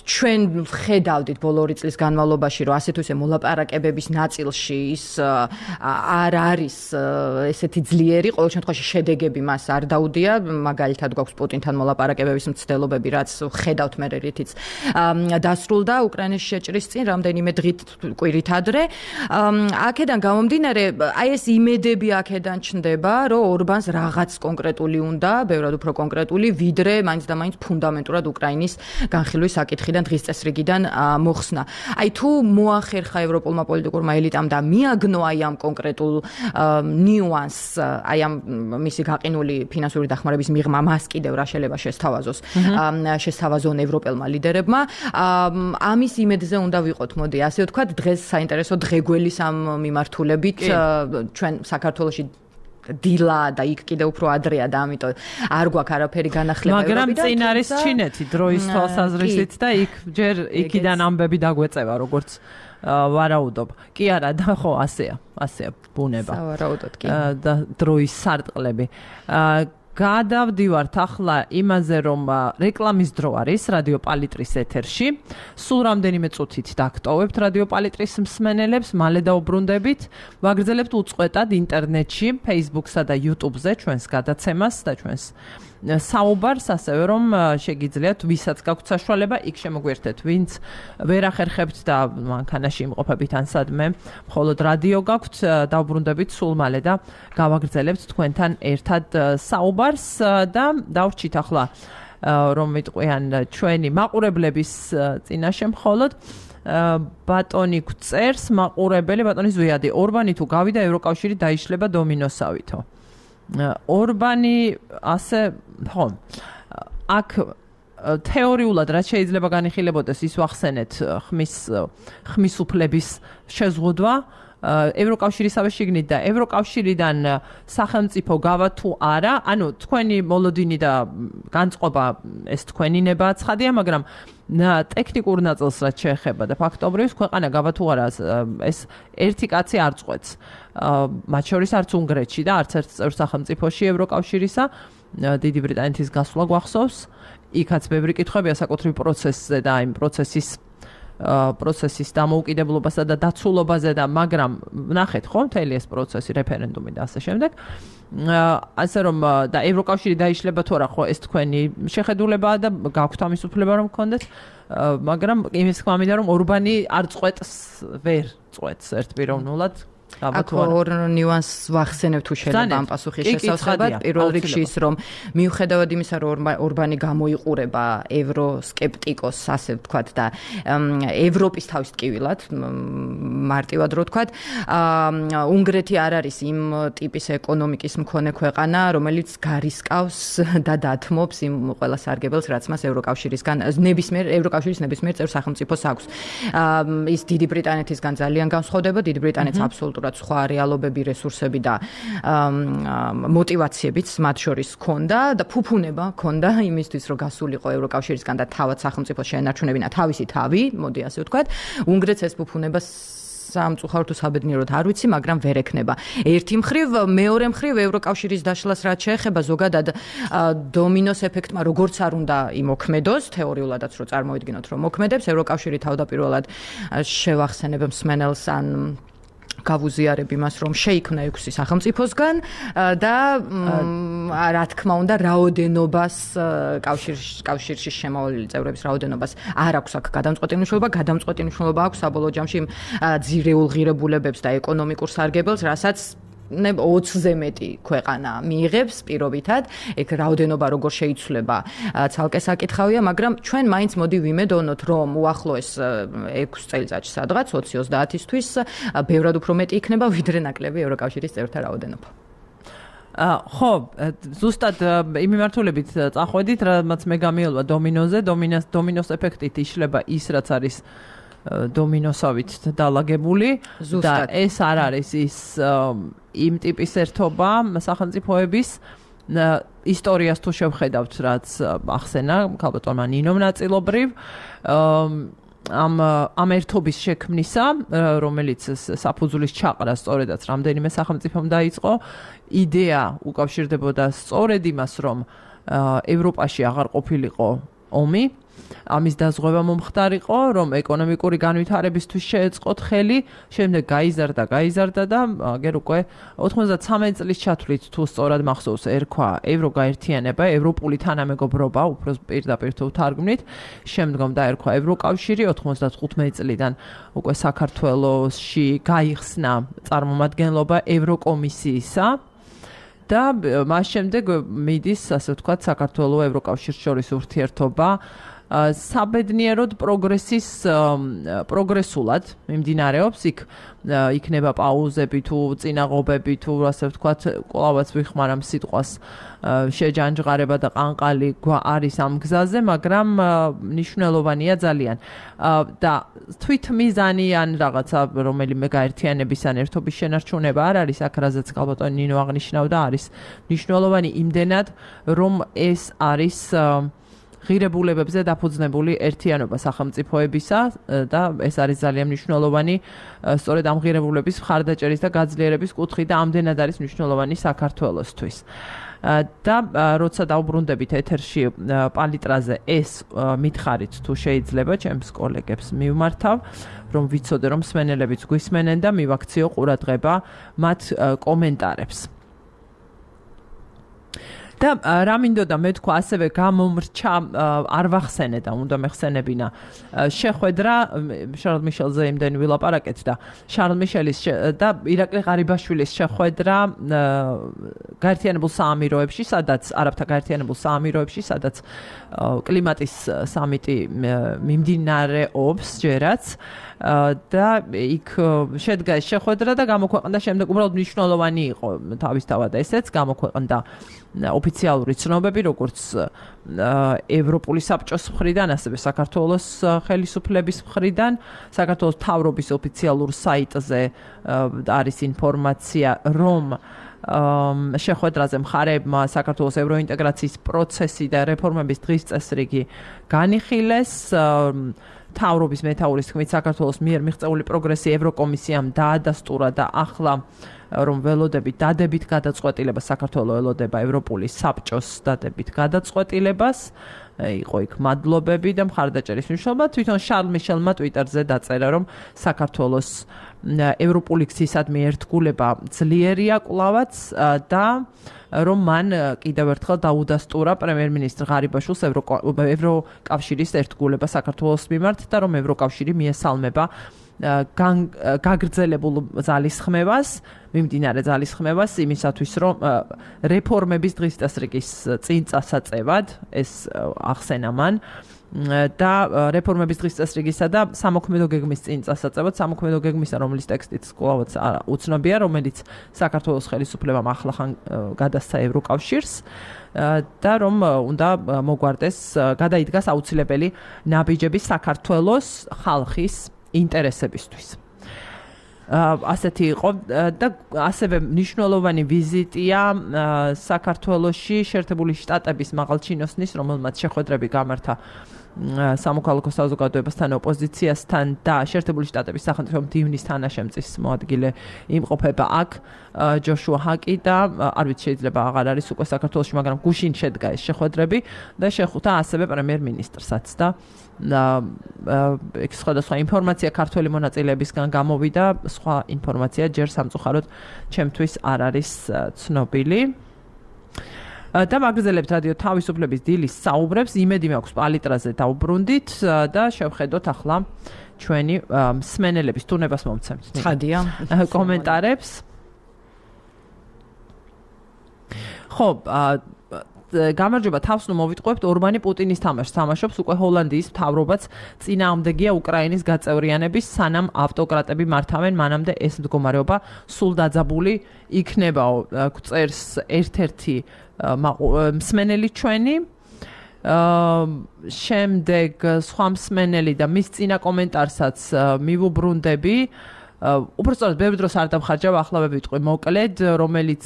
[SPEAKER 2] ჩვენ ვხედავდით ბოლო 2 წლის განმავლობაში, რომ ასე თუ ისე მოლაპარაკებების ნაწილში ის არ არის ესეთი ძლიერი, ყოველ შემთხვევაში შედეგები მას არ დაუდია, მაგალითად გვაქვს პუტინთან მოლაპარაკებების მცდელობები, რაც ხედავთ მე რითიც დასრულდა უკრაინის შეჭრის წინ რამდენიმე დღით კვირით ადრე. აქედან გამომდინარე, აი ეს იმედები აქედან ჩნდება, რომ ორბანს რაღაც კონკრეტული უნდა, ბევრად უფრო კონკრეტული, ვიდრე მაინც და მაინც ფუნდამენტურად უკრაინის განხილვის საკითხიდან დღის წესრიგიდან მოხსნა. აი თუ მოახერხა ევროპულმა პოლიტიკურმა ელიტამ და მიაგნო აი ამ კონკრეტულ ნიუანსს, აი ამ მისი გაყინული ფინანსური დახმარების მიღმა მას კიდევ რა შეიძლება შესთავაზონ ევროპელმა ლიდერებმა. ამის იმედზე უნდა ვიყოთ, მოდი, ასე ვთქვათ, დღეს საინტერესო დღეგველის ამ მიმართულებით ჩვენ საქართველოში დილა და იქ კიდე უფრო ადრეა და ამიტომ არ გვაქვს არაფერი განახლება
[SPEAKER 1] ევროპიდან. მაგრამ წინ არის ჩინეთი დროის თვალსაზრისით და იქ ჯერ იქიდან ამბები დაგვეწევა, როგორც ვარაუდობ. კი არა და ხო ასეა ბუნება.
[SPEAKER 2] სავარაუდოდ კი.
[SPEAKER 1] და დროის სარტყლები. გადავდივართ ახლა იმაზე, რომ რეკლამის დრო არის რადიო პალიტრის ეთერში. სულ რამდენიმე წუთით დაგტოვებთ რადიო პალიტრის მსმენელებს, მალე დაუბრუნდებით. ვაგრძელებთ უწყვეტად ინტერნეტში, Facebook-სა და YouTube-ზე ჩვენს გადაცემას და ჩვენს საუბარს, ასევე რომ შეგიძლიათ ვისაც გაქვთ საშუალება, იქ შემოგვერთეთ, ვინც ვერ ახერხებთ და მანქანაში იმყოფებით ან სადმე, მხოლოდ რადიო გაქვთ, დაუბრუნდებით სულ მალე და გავაგრძელებთ თქვენთან ერთად საუბარს და დავრჩით ახლა რომ ვიტყვიან ჩვენი მაყურებლების წინაშე მხოლოდ ბატონი გწერს მაყურებელი ბატონი ზვიადი ორბანი თუ გავიდა ევროკავშირი დაიშლება დომინოსავითო ორბანი ასე ხო აქ თეორიულად რაც შეიძლება განიხილებოდეს ის ვახსენეთ ხმის უფლების შეზღუდვა ევროკავშირისავე შიგნით და ევროკავშირიდან სახელმწიფო გავა თუ არა, ანუ თქვენი მოლოდინი და განწყობა ეს თქვენი ნება ცხადია, მაგრამ ტექნიკურ ნაწილს რაც შეეხება და ფაქტობრივად ქვეყანა გავა თუ არა ეს ერთი კაცი არ წყვეტს. მათ შორის არც უნგრეთში და არც ერთ წევრ სახელმწიფოში ევროკავშირისა დიდი ბრიტანეთის გასვლა გვახსოვს. იქაც ბევრი კითხვებია საკუთრივ პროცესზე და იმ პროცესის დამოუკიდებლობასა და დაცულობაზე და მაგრამ ნახეთ ხო მთელი ეს პროცესი რეფერენდუმი და ასე შემდეგ ასე რომ და ევროკავშირი დაიშლება თუ არა ხო ეს თქვენი შეხედულებაა და გაქვთ ამის უფლება რომ გქონდეთ მაგრამ იმის თქმა მინდა რომ ორბანი არ წყვეტს ვერ წყვეტს ერთპიროვნულად
[SPEAKER 2] აქ ორ ნიუანსს ვახსენებ თუ შეიძლება ამ პასუხის შესაძლებლად პირველ რიგში ის რომ მიუხედავად იმისა რომ ორბანი გამოიყურება ევროსკეპტიკოს ასე ვთქვათ და ევროპის თავის ტკივილად მარტივად რო ვთქვათ უნგრეთი არ არის იმ ტიპის ეკონომიკის მქონე ქვეყანა რომელიც გარისკავს და დათმობს იმ ყველა სარგებელს რაც მას ევროკავშირისგან ევროკავშირის ნებისმიერ წევრ სახელმწიფოს აქვს ის დიდი ბრიტანეთისგან ძალიან განსხვავდება დიდი ბრიტანეთს აბსოლუტურად სხვა რეალობები, რესურსები და მოტივაციებიც მათ შორის ჰქონდა და ფუფუნება ჰქონდა იმისთვის, რომ გასულიყო ევროკავშირისგან და თავად სახელმწიფოს შეენარჩუნებინა თავისი თავი, მოდი ასე ვთქვათ. უნგრეთს ეს ფუფუნება სამწუხაროდ თუ საბედნიეროდ არ ვიცი, მაგრამ ვერ ექნება. ერთი მხრივ, მეორე მხრივ ევროკავშირის დაშლას რაც შეეხება ზოგადად დომინოს ეფექტმა როგორც არ უნდა იმოქმედოს, თეორიულადაც რო წარმოვიდგინოთ, რომ მოქმედებს, ევროკავშირი თავდაპირველად შევახსენებ მსმენელს ან გავუზიარებ იმას, რომ შეიქმნა 6 სახელმწიფოსგან და რა თქმა უნდა, რაოდენობას კავშირში შემოვლილი წევრების რაოდენობას არ აქვს აქ გადამწყვეტი მნიშვნელობა, გადამწყვეტი მნიშვნელობა აქვს საბოლოო ჯამში ძირეულ ღირებულებებს და ეკონომიკურ სარგებელს, რასაც 20-ზე მეტი ქვეყანა მიიღებს პირობითად, ეგ რაოდენობა როგორ შეიცვლება ცალკე საკითხავია, მაგრამ ჩვენ მაინც მოდი ვიმედოვნოთ, რომ უახლოეს 6 წელიწადში სადღაც 20-30-ისთვის ბევრად უფრო მეტი იქნება, ვიდრე ნაკლები ევროკავშირის წევრთა რაოდენობა.
[SPEAKER 1] ხო, ზუსტად იმ მიმართულებით წახვედით, რაც მე გამიელვა დომინოზე, დომინოს ეფექტით იშლება ის, რაც არის დომინოსავით დალაგებული და ეს არ არის ის იმ ტიპის ერთობა სახელმწიფოების ისტორიას თუ შევხედავთ რაც ახსენა ქალბატონმა ნინომ ნაწილობრივ ამ ერთობის შექმნისა რომელიც საფუძვლის ჩაყრა სწორედაც რამდენიმე სახელმწიფომ დაიწყო იდეა უკავშირდებოდა სწორედ იმას რომ ევროპაში აღარ ყოფილიყო ომი ამის დაზღვევა მომხდარიყო, რომ ეკონომიკური განვითარებისთვის შეეწყოთ ხელი, შემდეგ გაიზარდა და აგერ უკვე 93 წლის ჩათვლით თუ სწორად მახსოვს ერქვა ევროგაერთიანება, ევროპული თანამეგობრობა, უფრო პირდაპირ თუ თარგმნით, შემდგომ დაერქვა ევროკავშირი 95 წლიდან უკვე საქართველოში გაიხსნა წარმომადგენლობა ევროკომისიისა და მას შემდეგ მიდის, ასე ვთქვათ, საქართველოს ევროკავშირის შორის ურთიერთობა საბედნიეროდ პროგრესულად მიმდინარეობს იქ იქნება პაუზები თუ წინაღობები თუ ასე ვთქვათ კვლავაც ვიხმარამ სიტყვას შეჯანჯღარება და ყანყალი არის ამ გზაზე მაგრამ მნიშვნელოვანია ძალიან და თვითმიზანი ან რაღაცა რომელიმე გაერთიანების ან ერთობის შენარჩუნება არ არის აქ რაზეც ქალბატონი ნინო აღნიშნავდა არის მნიშვნელოვანი იმდენად რომ ეს არის ღირებულებებზე დაფუძნებული ერთიანობა სახელმწიფოებისა და ეს არის ძალიან მნიშვნელოვანი სწორედ ამ ღირებულების მხარდაჭერის და გაძლიერების კუთხით და ამდენად არის მნიშვნელოვანი საქართველოსთვის. და როცა დავბრუნდებით ეთერში პალიტრაზე ეს მითხარით თუ შეიძლება ჩემს კოლეგებს მივმართავ რომ ვიცოდე რომ მსმენელებიც გვისმენენ და მივაქციო ყურადღება მათ კომენტარებს. და რა მინდოდა მე თქვა ასევე გამომრჩა არ ვახსენე და უნდა მეხსენებინა შეხვედრა შარლ მიშელზე იმდენი ვილაპარაკეთ და შარლ მიშელის და ირაკლი ღარიბაშვილის შეხვედრა გაერთიანებულ საამიროებში სადაც არაბთა გაერთიანებულ საამიროებში სადაც კლიმატის სამიტი მიმდინარეობს ჯერაც და იქ შედგა ეს შეხვედრა და გამოქვეყნდა შემდეგ უბრალოდ მნიშვნელოვანი იყო თავისთავად ესეც გამოქვეყნდა ოფიციალური ცნობები როგორც ევროპული საბჭოს მხრიდან ასევე საქართველოს ხელისუფლების მხრიდან საქართველოს მთავრობის ოფიციალურ საიტზე არის ინფორმაცია რომ შეხვედრაზე მხარეებმა საქართველოს ევროინტეგრაციის პროცესი და რეფორმების დღის წესრიგი განიხილეს მთავრობის მეთაურის თქმით საქართველოს მიერ მიღწეული პროგრესი ევროკომისიამ დაადასტურა და ახლა რომ ველოდებით დადებით გადაწყვეტილებას საქართველოს ელოდება ევროპული საბჭოს დადებით გადაწყვეტილებას იყო იქ მადლობები და მხარდაჭერის მნიშვნელობა თვითონ შარლ მიშელმა ტვიტერზე დაწერა რომ საქართველოს ევროპული გზისადმი ერთგულება ძლიერია კვლავაც და რომ მან კიდევ ერთხელ დაუდასტურა პრემიერ-მინისტრ ღარიბაშვილს ევროკავშირის ერთგულება საქართველოს მიმართ და რომ ევროკავშირი მიესალმება გაგრძელებულ ძალისხმევას, მიმდინარე ძალისხმევას იმისათვის, რომ რეფორმების დღის წესრიგის წინ წასაწევად ეს ახსენა მან და რეფორმების დღის წესრიგისა და სამოქმედო გეგმის წინ წასაწევად, სამოქმედო გეგმისა, რომლის ტექსტიც კვლავაც უცნობია, რომელიც საქართველოს ხელისუფლებამ ახლახან გადასცა ევროკავშირს და რომ უნდა მოგვარდეს, გადაიდგას აუცილებელი ნაბიჯები საქართველოს ხალხის ინტერესებისთვის. ასეთი იყო და ასევე მნიშვნელოვანი ვიზიტია საქართველოში შეერთებული შტატების მაღალჩინოსნის, რომელმაც შეხვედრები გამართა სამოქალაქო საზოგადოებასთან, ოპოზიციასთან და შეერთებული შტატების სახელმწიფო მდივნის თანაშემწის მოადგილე იმყოფება აქ ჯოშუა ჰაკი და არ ვიცი შეიძლება აღარ არის უკვე საქართველოში, მაგრამ გუშინ შედგა ეს შეხვედრები და შეხვდა ასევე პრემიერ-მინისტრსაც და სხვადასხვა ინფორმაცია ქართველი მონაწილეებისგან გამოვიდა, სხვა ინფორმაცია ჯერ სამწუხაროდ ჩემთვის არ არის ცნობილი. და მაგზელებთ რადიო თავისუფლების დილის საუბრებს, იმედი მაქვს პალიტრაზე დავბრუნდით და შევხედოთ ახლა ჩვენი მსმენელების თუნებას მომცემთ.
[SPEAKER 2] ხადია
[SPEAKER 1] კომენტარებს. ხო, გამარჯობა თავს ნუ მოვიტყუებთ ორბანი პუტინის თამაშს თამაშობს უკვე ჰოლანდიის მთავრობაც წინააღმდეგია უკრაინის გაწევრიანების სანამ ავტოკრატები მართავენ მანამდე ეს მდგომარეობა სულ დაძაბული იქნებაო წერს ერთ-ერთი მსმენელი ჩვენი შემდეგ სხვა მსმენელი და მის წინა კომენტარსაც მივუბრუნდები უბრალოდ ბევრ დროს არ დამხარჯავ ახლა ვიტყვი მოკლედ რომელიც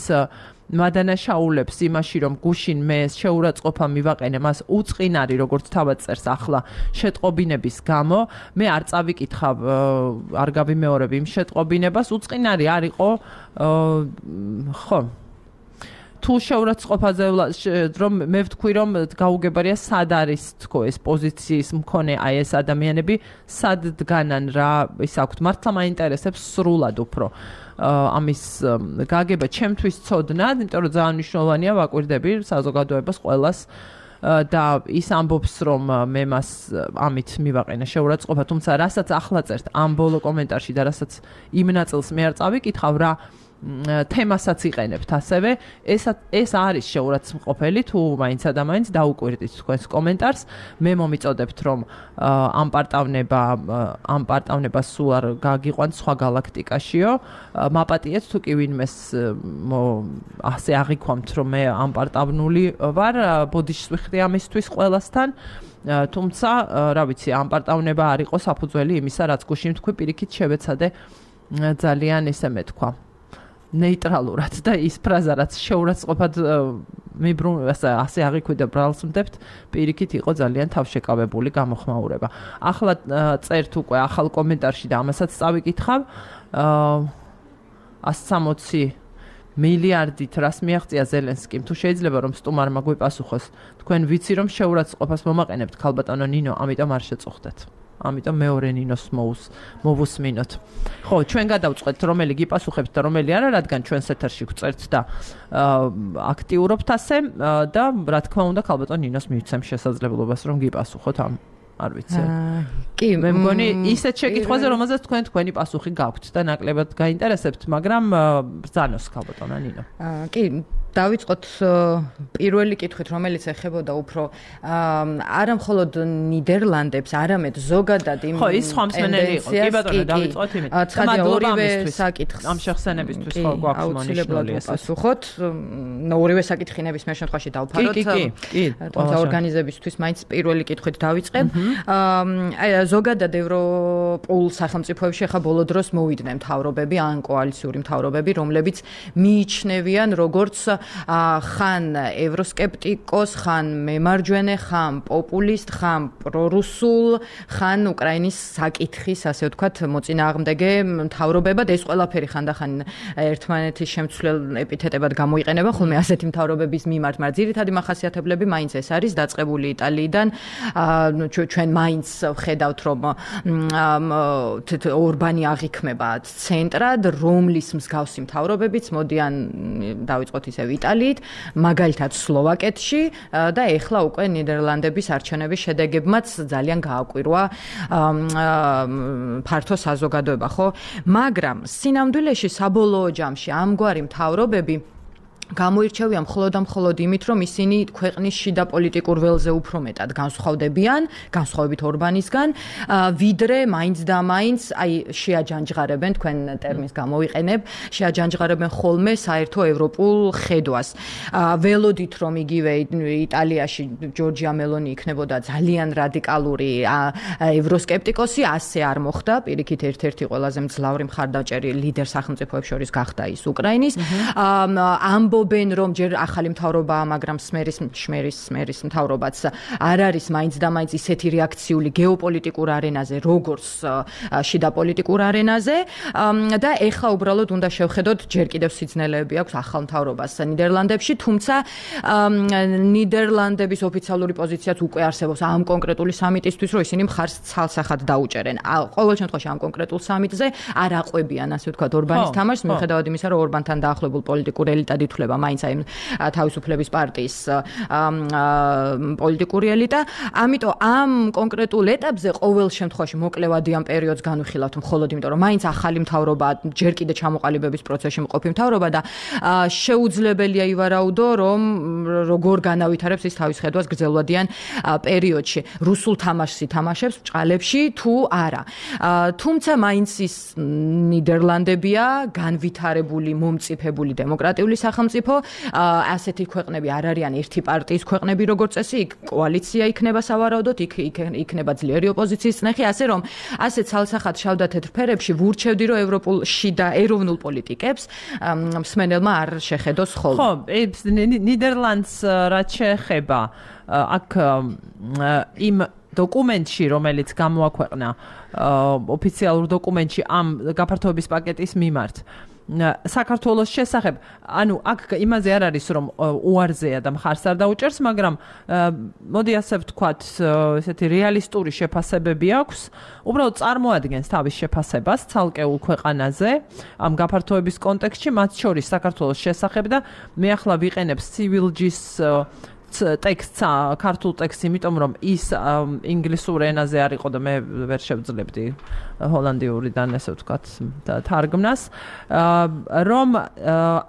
[SPEAKER 1] მადანაშაულებს იმაში რომ გუშინ მე შეურაცხყოფა მივაყენე მას უწყინარი როგორც თავად წერს ახლა შეტყობინების გამო მე არ წავიკითხავ არ გავიმეორებ იმ შეტყობინებას უწყინარი არ იყო ხო თუ შეურაცხყოფაზე რომ მე ვთქვი რომ გაუგებარია სად არის თქო ეს პოზიციის მქონე აი ეს ადამიანები სად დგანან რა ის აქვთ მართლა მაინტერესებს სრულად უფრო ამის გაგება ჩემთვის ცოდნად, იმიტომ რომ ძალიან მნიშვნელოვანია ვაკვირდები საზოგადოებას ყველას და ის ამბობს რომ მე მას ამით მივაყენე შეურაცხყოფა, თუმცა რასაც ახლა წერთ ამ ბოლო კომენტარში და რასაც იმ ნაწილს მე არ წავიკითხავ რა თემასაც იყენებთ ასევე ეს არის შეურაცხმყოფელი თუ მაინც ადამიანს დაუკვირდით თქვენს კომენტარს მე მომიწოდებთ რომ ამ პარტავნება სულ არ გაგიყვანთ სხვა galaktikashiო მაპატიეთ თუ კი ვინმეს ასე აღიქვამთ რომ მე ამ პარტავნული ვარ ბოდიშს ვიხდი ამისთვის ყველასთან თუმცა რა ვიცი ამ პარტავნება არ იყო საფუძველი იმისა რაც გუშინ თქვი პირიქით შევეცადე ძალიან ისე მეთქვა ნეიტრალურად და ის ფრაზა რაც შეურაცხყოფად ასე აღიქვიდა ბრალსმდებთ, პირიქით იყო ძალიან თავშეკავებული გამოხმაურება. ახლა წერთ უკვე ახალ კომენტარში და ამასაც წავიკითხავ. 160 მილიარდით რას მიაღწია ზელენსკიმ? თუ შეიძლება რომ სტუმარმა გვიპასუხოს, თქვენ ვიცი რომ შეურაცხყოფას მომაყენებთ ქალბატონო ნინო, ამიტომ არ შეწუხდეთ. ამიტომ მეორე ნინოს მოვუსმინოთ. ხო, ჩვენ გადავწყვეტთ რომელი გიპასუხებთ და რომელი არა, რადგან ჩვენს ეთერში გვწერთ და აქტიურობთ ასე და რა თქმა უნდა ქალბატონ ნინოს მივცემ შესაძლებლობას რომ გიპასუხოთ ამ არ ვიცი.
[SPEAKER 2] კი,
[SPEAKER 1] მე მგონი ისეთ შეკითხვაზე რომელზეც თქვენი პასუხი გაქვთ და ნაკლებად გაინტერესებთ, მაგრამ ბრძანოს ქალბატონო ნინო.
[SPEAKER 2] კი, დავიწყოთ პირველი კითხვით, რომელიც ეხებოდა უფრო არა მხოლოდ ნიდერლანდებს, არამედ ზოგადად იმ
[SPEAKER 1] ხო, ის სხვა მსმენელი იყო. კი ბატონო, დავიწყოთ იმით.
[SPEAKER 2] ორივე საკითხს
[SPEAKER 1] ამ შეხსენებისთვის ხო გვაქვს მონიშნული ეს.
[SPEAKER 2] პასუხოთ, ორივე საკითხი ნებისმიერ შემთხვევაში დავფაროთ.
[SPEAKER 1] კი.
[SPEAKER 2] თუმცა ორგანიზებისთვის მაინც პირველი კითხვით დავიწყებ. ზოგადად ევროპულ სახელმწიფოებში ხა ბოლო დროს მოვიდნენ მთავრობები, ან კოალიციური მთავრობები, რომლებიც მიიჩნევიან როგორც ხან ევროსკეპტიკოს, ხან მემარჯვენე, ხან პოპულისტ, ხან პრორუსულ, ხან უკრაინის საკითხის, ასე ვთქვათ, მოწინააღმდეგე მთავრობებად. ეს ყველაფერი ხანდახან ერთმანეთის შემცვლელ ეპითეტებად გამოიყენება ხოლმე ასეთი მთავრობების მიმართ, მაგრამ ძირითადი მახასიათებლები მაინც ეს არის დაწყებული იტალიიდან. ჩვენ მაინც ვხედავთ, რომ ორბანი აღიქმება ცენტრად, რომლის მსგავსი მთავრობებიც მოდიან დავიწყოთ ისევ იტალიით, მაგალითად სლოვაკეთში და ეხლა უკვე ნიდერლანდების არჩევნების შედეგებმაც ძალიან გააკვირვა ფართო საზოგადოება, ხო? მაგრამ სინამდვილეში საბოლოო ჯამში ამგვარი მთავრობები გამოირჩევიან მხოლოდ იმით, რომ ისინი ქვეყნის შიდა პოლიტიკურ ველზე უფრო მეტად განსხვავდებიან, განსხვავებით ორბანისგან, ვიდრე მაინც და მაინც შეაჯანჯღარებენ, თქვენ ტერმინს გამოვიყენებ, შეაჯანჯღარებენ ხოლმე საერთო ევროპულ ხედვას. ველოდით, რომ იგივე იტალიაში ჯორჯია მელონი იქნებოდა ძალიან რადიკალური ევროსკეპტიკოსი, ასე არ მოხდა. პირიქით ერთ-ერთი ყველაზე მძლავრი მხარდაჭერი ლიდერ სახელმწიფოებს შორის გახდა ის უკრაინის. ამბობენ, რომ ჯერ ახალი მთავრობაა, მაგრამ სმერის მთავრობაც არ არის მაინც და მაინც ისეთი რეაქციული გეოპოლიტიკურ არენაზე, როგორც შიდა პოლიტიკურ არენაზე და ეხლა უბრალოდ უნდა შევხედოთ, ჯერ კიდევ სიძნელეები აქვს ახალ მთავრობას ნიდერლანდებში, თუმცა ნიდერლანდების ოფიციალური პოზიციაც უკვე არსებობს ამ კონკრეტული სამიტისთვის, რომ ისინი მხარს ცალსახად დაუჭერენ. ყოველ შემთხვევაში ამ კონკრეტულ სამიტზე არ აყვებიან, ასე ვთქვათ, ორბანის თამაშს, მიუხედავად იმისა, რომ ორბანთან დაახლოებულ პოლიტიკურ ელიტად ითვლება მაინც აი თავისუფლების პარტიის პოლიტიკური ელიტა. ამიტომ ამ კონკრეტულ ეტაპზე ყოველ შემთხვევაში მოკლევადიან პერიოდს განვიხილავთ მხოლოდ იმიტომ, რომ მაინც ახალი მთავრობა, ჯერ კიდე ჩამოყალიბების პროცესში მყოფი მთავრობა და შეუძლებელია ივარაუდო, რომ როგორ განავითარებს ის თავის ხედვას გრძელვადიან პერიოდში. რუსულ თამაშს ითამაშებს ბჭყალებში თუ არა. თუმცა მაინც ის ნიდერლანდებია განვითარებული, მომწიფებული დემოკრატიული სახელმწიფო, ასეთი ქვეყნები არ არიან ერთი პარტიის ქვეყნები, როგორც წესი, იქ კოალიცია იქნება სავარაუდოდ, იქნება ძლიერი ოპოზიციის წნეხი, ასე რომ ასე ცალსახად შავ-თეთრ ფერებში ვურჩევდი, რომ ევროპულში და ეროვნულ პოლიტიკებს მსმენელმა არ შეხედოს ხოლმე.
[SPEAKER 1] ხო, ნიდერლანდს რაც შეეხება, აქ იმ დოკუმენტში, რომელიც გამოაქვეყნა ოფიციალურ დოკუმენტში ამ გაფართოების პაკეტის მიმართ, საქართველოს შესახებ, ანუ აქ იმაზე არ არის, რომ უარზეა და მხარს არ დაუჭერს, მაგრამ მოდი ასე ვთქვათ, ესეთი რეალისტური შეფასებები აქვს, უბრალოდ წარმოადგენს თავის შეფასებას ცალკეულ ქვეყანაზე ამ გაფართოების კონტექსტში, მათ შორის საქართველოს შესახებ და მე ახლა ვიყენებ Civilgis ტექსტს, ქართულ ტექსტს, იმიტომ რომ ის ინგლისურ ენაზე არ იყო და მე ვერ შევძლებდი ჰოლანდიურიდან, ესე ვთქვათ, თარგმნას, რომ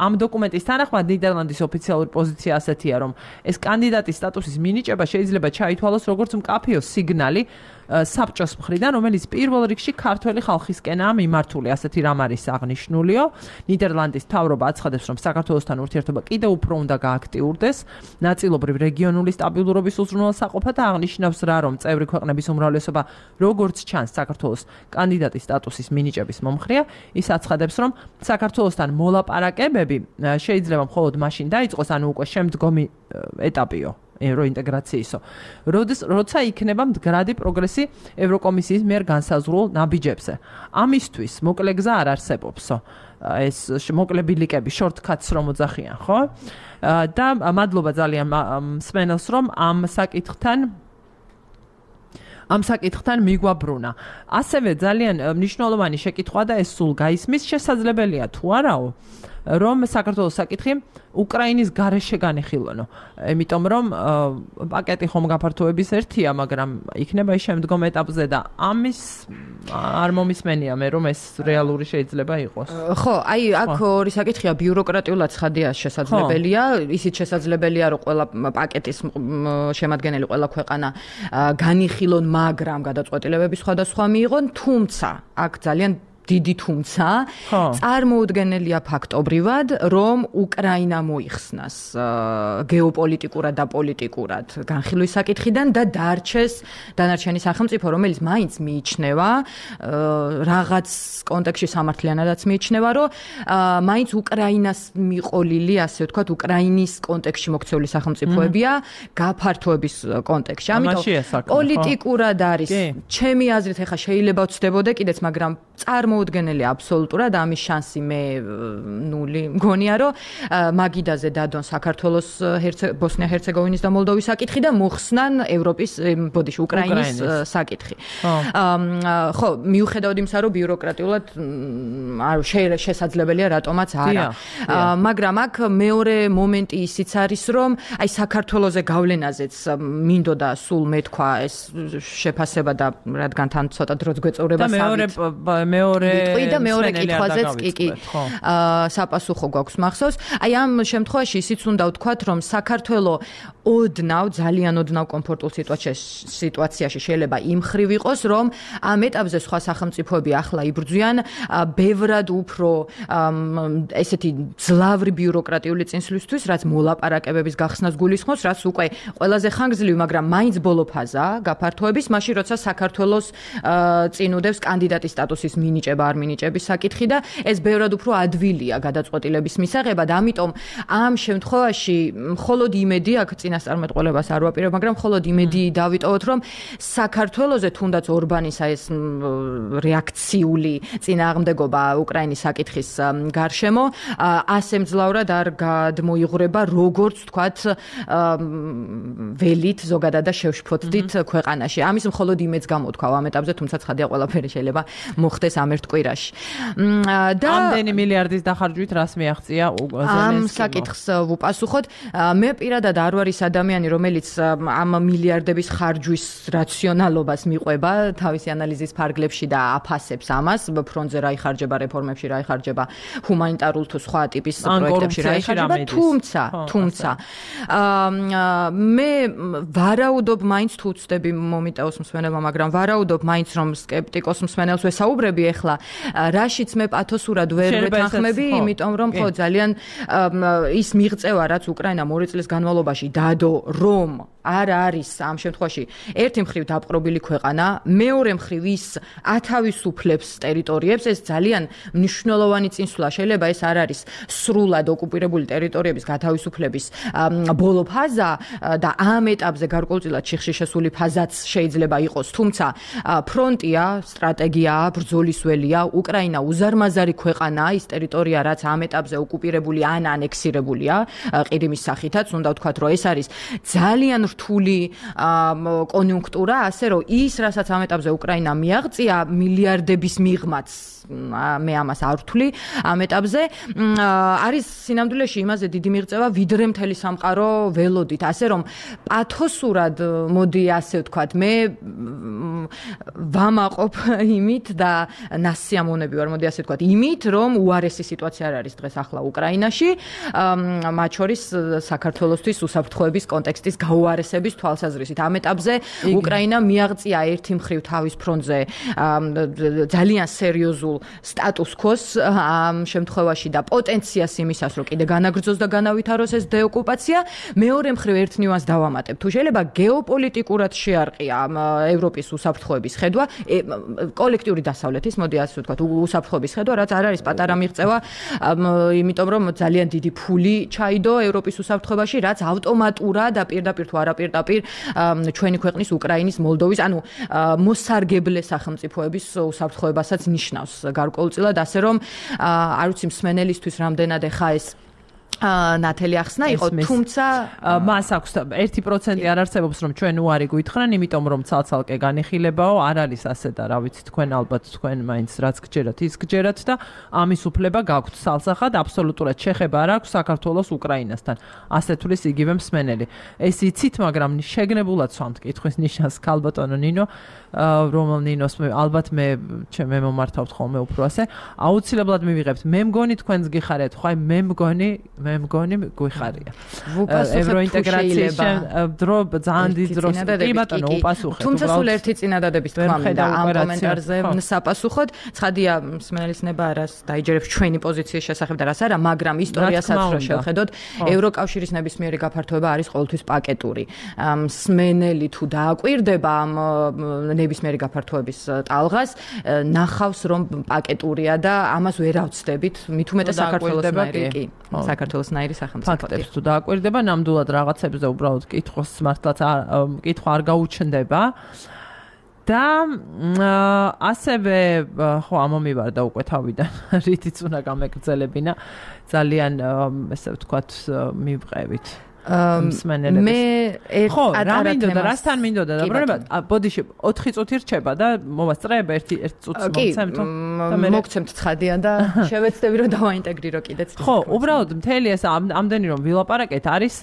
[SPEAKER 1] ამ დოკუმენტის თანახმად ნიდერლანდის ოფიციალური პოზიცია ასეთია, რომ ეს კანდიდატის სტატუსის მინიჭება შეიძლება ჩაითვალოს როგორც მკაფიო სიგნალი საბჭოს მხრიდან, რომელიც პირველ რიგში ქართველი ხალხისკენაა მიმართული, ასეთი რამ არის აღნიშნულიო. ნიდერლანდის მთავრობა აცხადებს, რომ საქართველოსთან ურთიერთობა კიდევ უფრო უნდა გააქტიურდეს, ნაწილობრივ რეგიონული სტაბილურობის უზრუნველსაყოფა და აღნიშნავს რა, რომ წევრი ქვეყნების უმრავლესობა როგორც ჩანს საქართველოს კანდიდატის სტატუსის მინიჭების მომხრეა. ის აცხადებს, რომ საქართველოსთან მოლაპარაკებები შეიძლება მხოლოდ მაშინ დაიწყოს, ანუ უკვე შემდგომი ეტაპიო ევროინტეგრაციისო. როცა იქნება მდგრადი პროგრესი ევროკომისიის მიერ განსაზღვრულ ნაბიჯებზე. ამისთვის მოკლე გზა არ არსებობსო. ეს მოკლე ბილიკები, shortcuts რომ ოძახიან, ხო? და მადლობა ძალიან მსმენელს, რომ ამ საკითხთან მიგვაბრუნა. ასევე ძალიან მნიშვნელოვანი შეკითხვა და ეს სულ გაისმის, შესაძლებელია თუ არაო, რომ საქართველოს საკითხი უკრაინის გარეშე განეხილონო. იმიტომ რომ პაკეტი ხომ გაფართოების ერთია, მაგრამ იქნება ის შემდგომ ეტაპზე და ამის არ მომისმენია მე, რომ ეს რეალური შეიძლება იყოს.
[SPEAKER 2] ხო, აი აქ ორი საკითხია, ბიუროკრატიულად ცხადია შესაძლებელია, ისიც შესაძლებელია, რომ ყველა პაკეტის შემადგენელი ყველა ქვეყანა განიხილონ, მაგრამ გადაწყვეტილებები სხვადასხვა მიიღონ, თუმცა აქ ძალიან დიდი თუმცა წარმოუდგენელია ფაქტობრივად, რომ უკრაინა მოიხსნას გეოპოლიტიკურად და პოლიტიკურად განხილვის საკითხიდან და დარჩეს დანარჩენი სახელმწიფო, რომელიც მაინც მიიჩნევა რაღაც კონტექსტში სამართლიანადაც მიიჩნევა, რომ მაინც უკრაინას მიყოლილი, ასე ვთქვათ, უკრაინის კონტექსტში მოქცეული სახელმწიფოებია გაფართოების კონტექსტში. ამიტომ პოლიტიკურად არის, ჩემი აზრით, ეხა შეიძლება ვცდებოდე კიდეც, მაგრამ მოუდგენელი აბსოლუტურად ამის შანსი მე ნული მგონია, რომ მაგიდაზე დადონ საქართველოს ბოსნია-ჰერცეგოვინის და მოლდოვის საკითხი და მოხსნან ევროპის უკრაინის საკითხი. ხო, მიუხედავად იმისა, რომ ბიუროკრატიულად შესაძლებელია რატომაც არა. მაგრამ აქ მეორე მომენტი ისიც არის, რომ აი საქართველოზე გავლენაზეც მინდოდა სულ მეთქვა ეს შეფასება და რადგან თან ცოტა დროც გვეწევრება
[SPEAKER 1] მეორე
[SPEAKER 2] და მეორე კითხვაზეც კი საპასუხო გვაქვს მახსოვს. აი ამ შემთხვევაში ისიც უნდა ვთქვათ, რომ საქართველო ძალიან ოდნავ კომფორტულ სიტუაციაში შეიძლება იმ ხრივ იყოს, რომ ამ ეტაპზე სხვა სახელმწიფოები ახლა იბრძვიან ბევრად უფრო ესეთი ძლავრი ბიუროკრატიული წინსვლისთვის, რაც მოლაპარაკებების გახსნას გულისხმობს, რაც უკვე ყველაზე ხანგრძლივი, მაგრამ მაინც ბოლო ფაზაა გაფართოების, მაშინ როცა საქართველოს წინუდებს კანდიდატის სტატუსის მინიჭება არ მინიჭების საკითხი და ეს ბევრად უფრო ადვილია გადაწყვეტილების მისაღებად. ამიტომ ამ შემთხვევაში მხოლოდ იმედი აქ წინასწარმეტყველებას არ ვაპირებ, მაგრამ მხოლოდ იმედი დავიტოვოთ, რომ საქართველოზე თუნდაც ორბანის ეს რეაქციული წინააღმდეგობა უკრაინის საკითხის გარშემო ასე მძლავრად არ გადმოიღვრება, როგორც თქვათ ველით ზოგადად და შევშფოთდით ქვეყანაში. ამის მხოლოდ იმედს გამოთქვავ ამ ეტაპზე, თუმცა ცხადია ყველაფერი შეიძლება მოხდეს ამ ერთ კვირაში. და
[SPEAKER 1] ამდენი მილიარდის დახარჯვით რას მიაღწია
[SPEAKER 2] ამ საკითხს ვუპასუხოთ. მე პირადად არ ვარ ის ადამიანი, რომელიც ამ მილიარდების ხარჯვის რაციონალობას მიყვება თავისი ანალიზის ფარგლებში და აფასებს ამას, ფრონტზე რა იხარჯება, რეფორმებში რა იხარჯება, ჰუმანიტარულ თუ სხვა ტიპის პროექტებში რა იხარჯება, თუმცა მე ვარაუდობ მაინც თუ ვწდები მომიტევოს მსმენელმა, მაგრამ ვარაუდობ მაინც რომ სკეპტიკოს მსმენელს ვესაუბრები ახლა, რაშიც მე პათოსურად ვერ ვეთანხმები, იმიტომ რომ ხო ძალიან ის მიღწევა, რაც უკრაინა 2 წლის განმავლობაში დადო, რომ არ არის ამ შემთხვევაში ერთი მხრივ დაპყრობილი ქვეყანა, მეორე მხრივ ის ათავისუფლებს ტერიტორიებს, ეს ძალიან მნიშვნელოვანი წინსვლა. შეიძლება ეს არ არის სრულად ოკუპირებული ტერიტორიების გათავისუფლების ბოლო ფაზა და ამ ეტაპზე გარკვეულწილად შიხში შესული ფაზაც შეიძლება იყოს, თუმცა ფრონტია, სტრატეგიაა, ბრძოლის ველია, უკრაინა უზარმაზარი ქვეყანაა, ის ტერიტორია, რაც ამ ეტაპზე ოკუპირებული ან ანექსირებულია ყირიმის სახითაც, უნდა ვთქვათ, რომ ეს არის ძალიან რთული კონიუნქტურა, ასე რომ ის, რასაც ამ ეტაპზე უკრაინა მიაღწია, მილიარდების მიღმაც მე ამას არ ვთვლი ამ ეტაპზე, არის სინამდვილეში იმაზე დიდი მიღწევა, ვიდრე მთელი სამყარო ველოდით, ასე რომ პათოსურად, მოდი ასე ვთქვათ, მე ვამაყობ იმით და ნასიამოვნები ვარ, მოდი ასე ვთქვათ, იმით, რომ უარესი სიტუაცია არ არის დღეს ახლა უკრაინაში, მათ შორის საქართველოსთვის უსაფრთხოების კონტექსტის გაუარესების თვალსაზრისით. ამ ეტაპზე უკრაინა მიაღწია ერთი მხრივ თავის ფრონტზე ძალიან სერიოზულ სტატუს-კვოს ამ შემთხვევაში და პოტენციას იმისას, რომ კიდე განაგრძოს და განავითაროს ეს დეოკუპაცია. მეორე მხრივ ერთ ნიუანსს დავამატებ. თუ შეიძლება გეოპოლიტიკურად შეარყია ევროპის უსაფრთხოების ხედვა, კოლექტიური დასავლეთის, მოდი ასე ვთქვათ, უსაფრთხოების ხედვა, რაც არ არის პატარა მიღწევა, იმიტომ რომ ძალიან დიდი ფული ჩაიდო ევროპის უსაფრთხოებაში, რაც ავტომატურად და პირდაპირ თუ არაპირდაპირ ჩვენი ქვეყნის უკრაინის, მოლდოვის, ანუ მოსარგებლე სახელმწიფოების უსაფრთხოებასაც ნიშნავს გარკვეულწილად, ასე რომ არ ვიცი მსმენელისთვის რამდენად ეხა ეს ნათელი ახსნა იყო, თუმცა
[SPEAKER 1] მას აქვს 1% არ არსებობს, რომ ჩვენ უარი გვითხრან, იმიტომ რომ ცალ-ცალკე განიხილებაო, არ არის ასე და რა ვიცი, თქვენ ალბათ თქვენ მაინც რაც გჯერათ, ის გჯერათ და ამის უფლება გაქვთ სალსახად, აბსოლუტურად შეხება არ აქვს საქართველოს უკრაინასთან. ასე თulis იგივე მსმენელი. ეს იცით, მაგრამ შეგნებულად სვამთ კითხვის ნიშანს ქალბატონო ნინო, რომელ ნინოს ალბათ მე მომართავთ ხოლმე უფრო ასე, აუცილებლად მივიღებთ. მე მგონი თქვენს გიხარეთ, ხო, მე მგონი გვიხარია. ევროინტეგრაციის დრო ძალიან დიდ დროს კი ბატონო უპასუხეთ.
[SPEAKER 2] თუმცა სულ ერთი წინადადების თქვა მინდა ამ კომენტარზე საპასუხოდ. ცხადია მსმენელის ნება არას დაიჯერებს ჩვენი პოზიციის შესახებ და რას არა, მაგრამ ისტორიასაც რო შევხედოთ, ევროკავშირის ნებისმიერი გაფართოება არის ყოველთვის პაკეტური. მსმენელი თუ დააკვირდება ამ ნებისმიერი გაფართოების ტალღას, ნახავს რომ პაკეტურია და ამას ვერ ავწდებით, მით უმეტეს საქართველოსნაირი კი. საქართველოსნაირი სახელმწიფო.
[SPEAKER 1] ფაქტებს თუ დააკვირდება, ნამდვილად რაღაცებზე უბრალოდ კითხვის მართლაც კითხვა არ გაუჩნდება. და ასევე ხო ამომივარდა უკვე თავიდან, რითიც უნდა გამეგრძელებინა, ძალიან ესე ვთქვათ, მივყევით.
[SPEAKER 2] მე
[SPEAKER 1] ხო, რა მინდოდა, რასთან მინდოდა დაბრუნება? ბოდიში 4 წუთი რჩება და მოვასწრებ 1 წუთს მოგცემთ
[SPEAKER 2] და მე მოგცემთ ცხადიან და შევეცდები რომ დავაინტეგრირო კიდეც.
[SPEAKER 1] ხო, უბრალოდ მთელი ეს ამდენი რომ ვილაპარაკეთ არის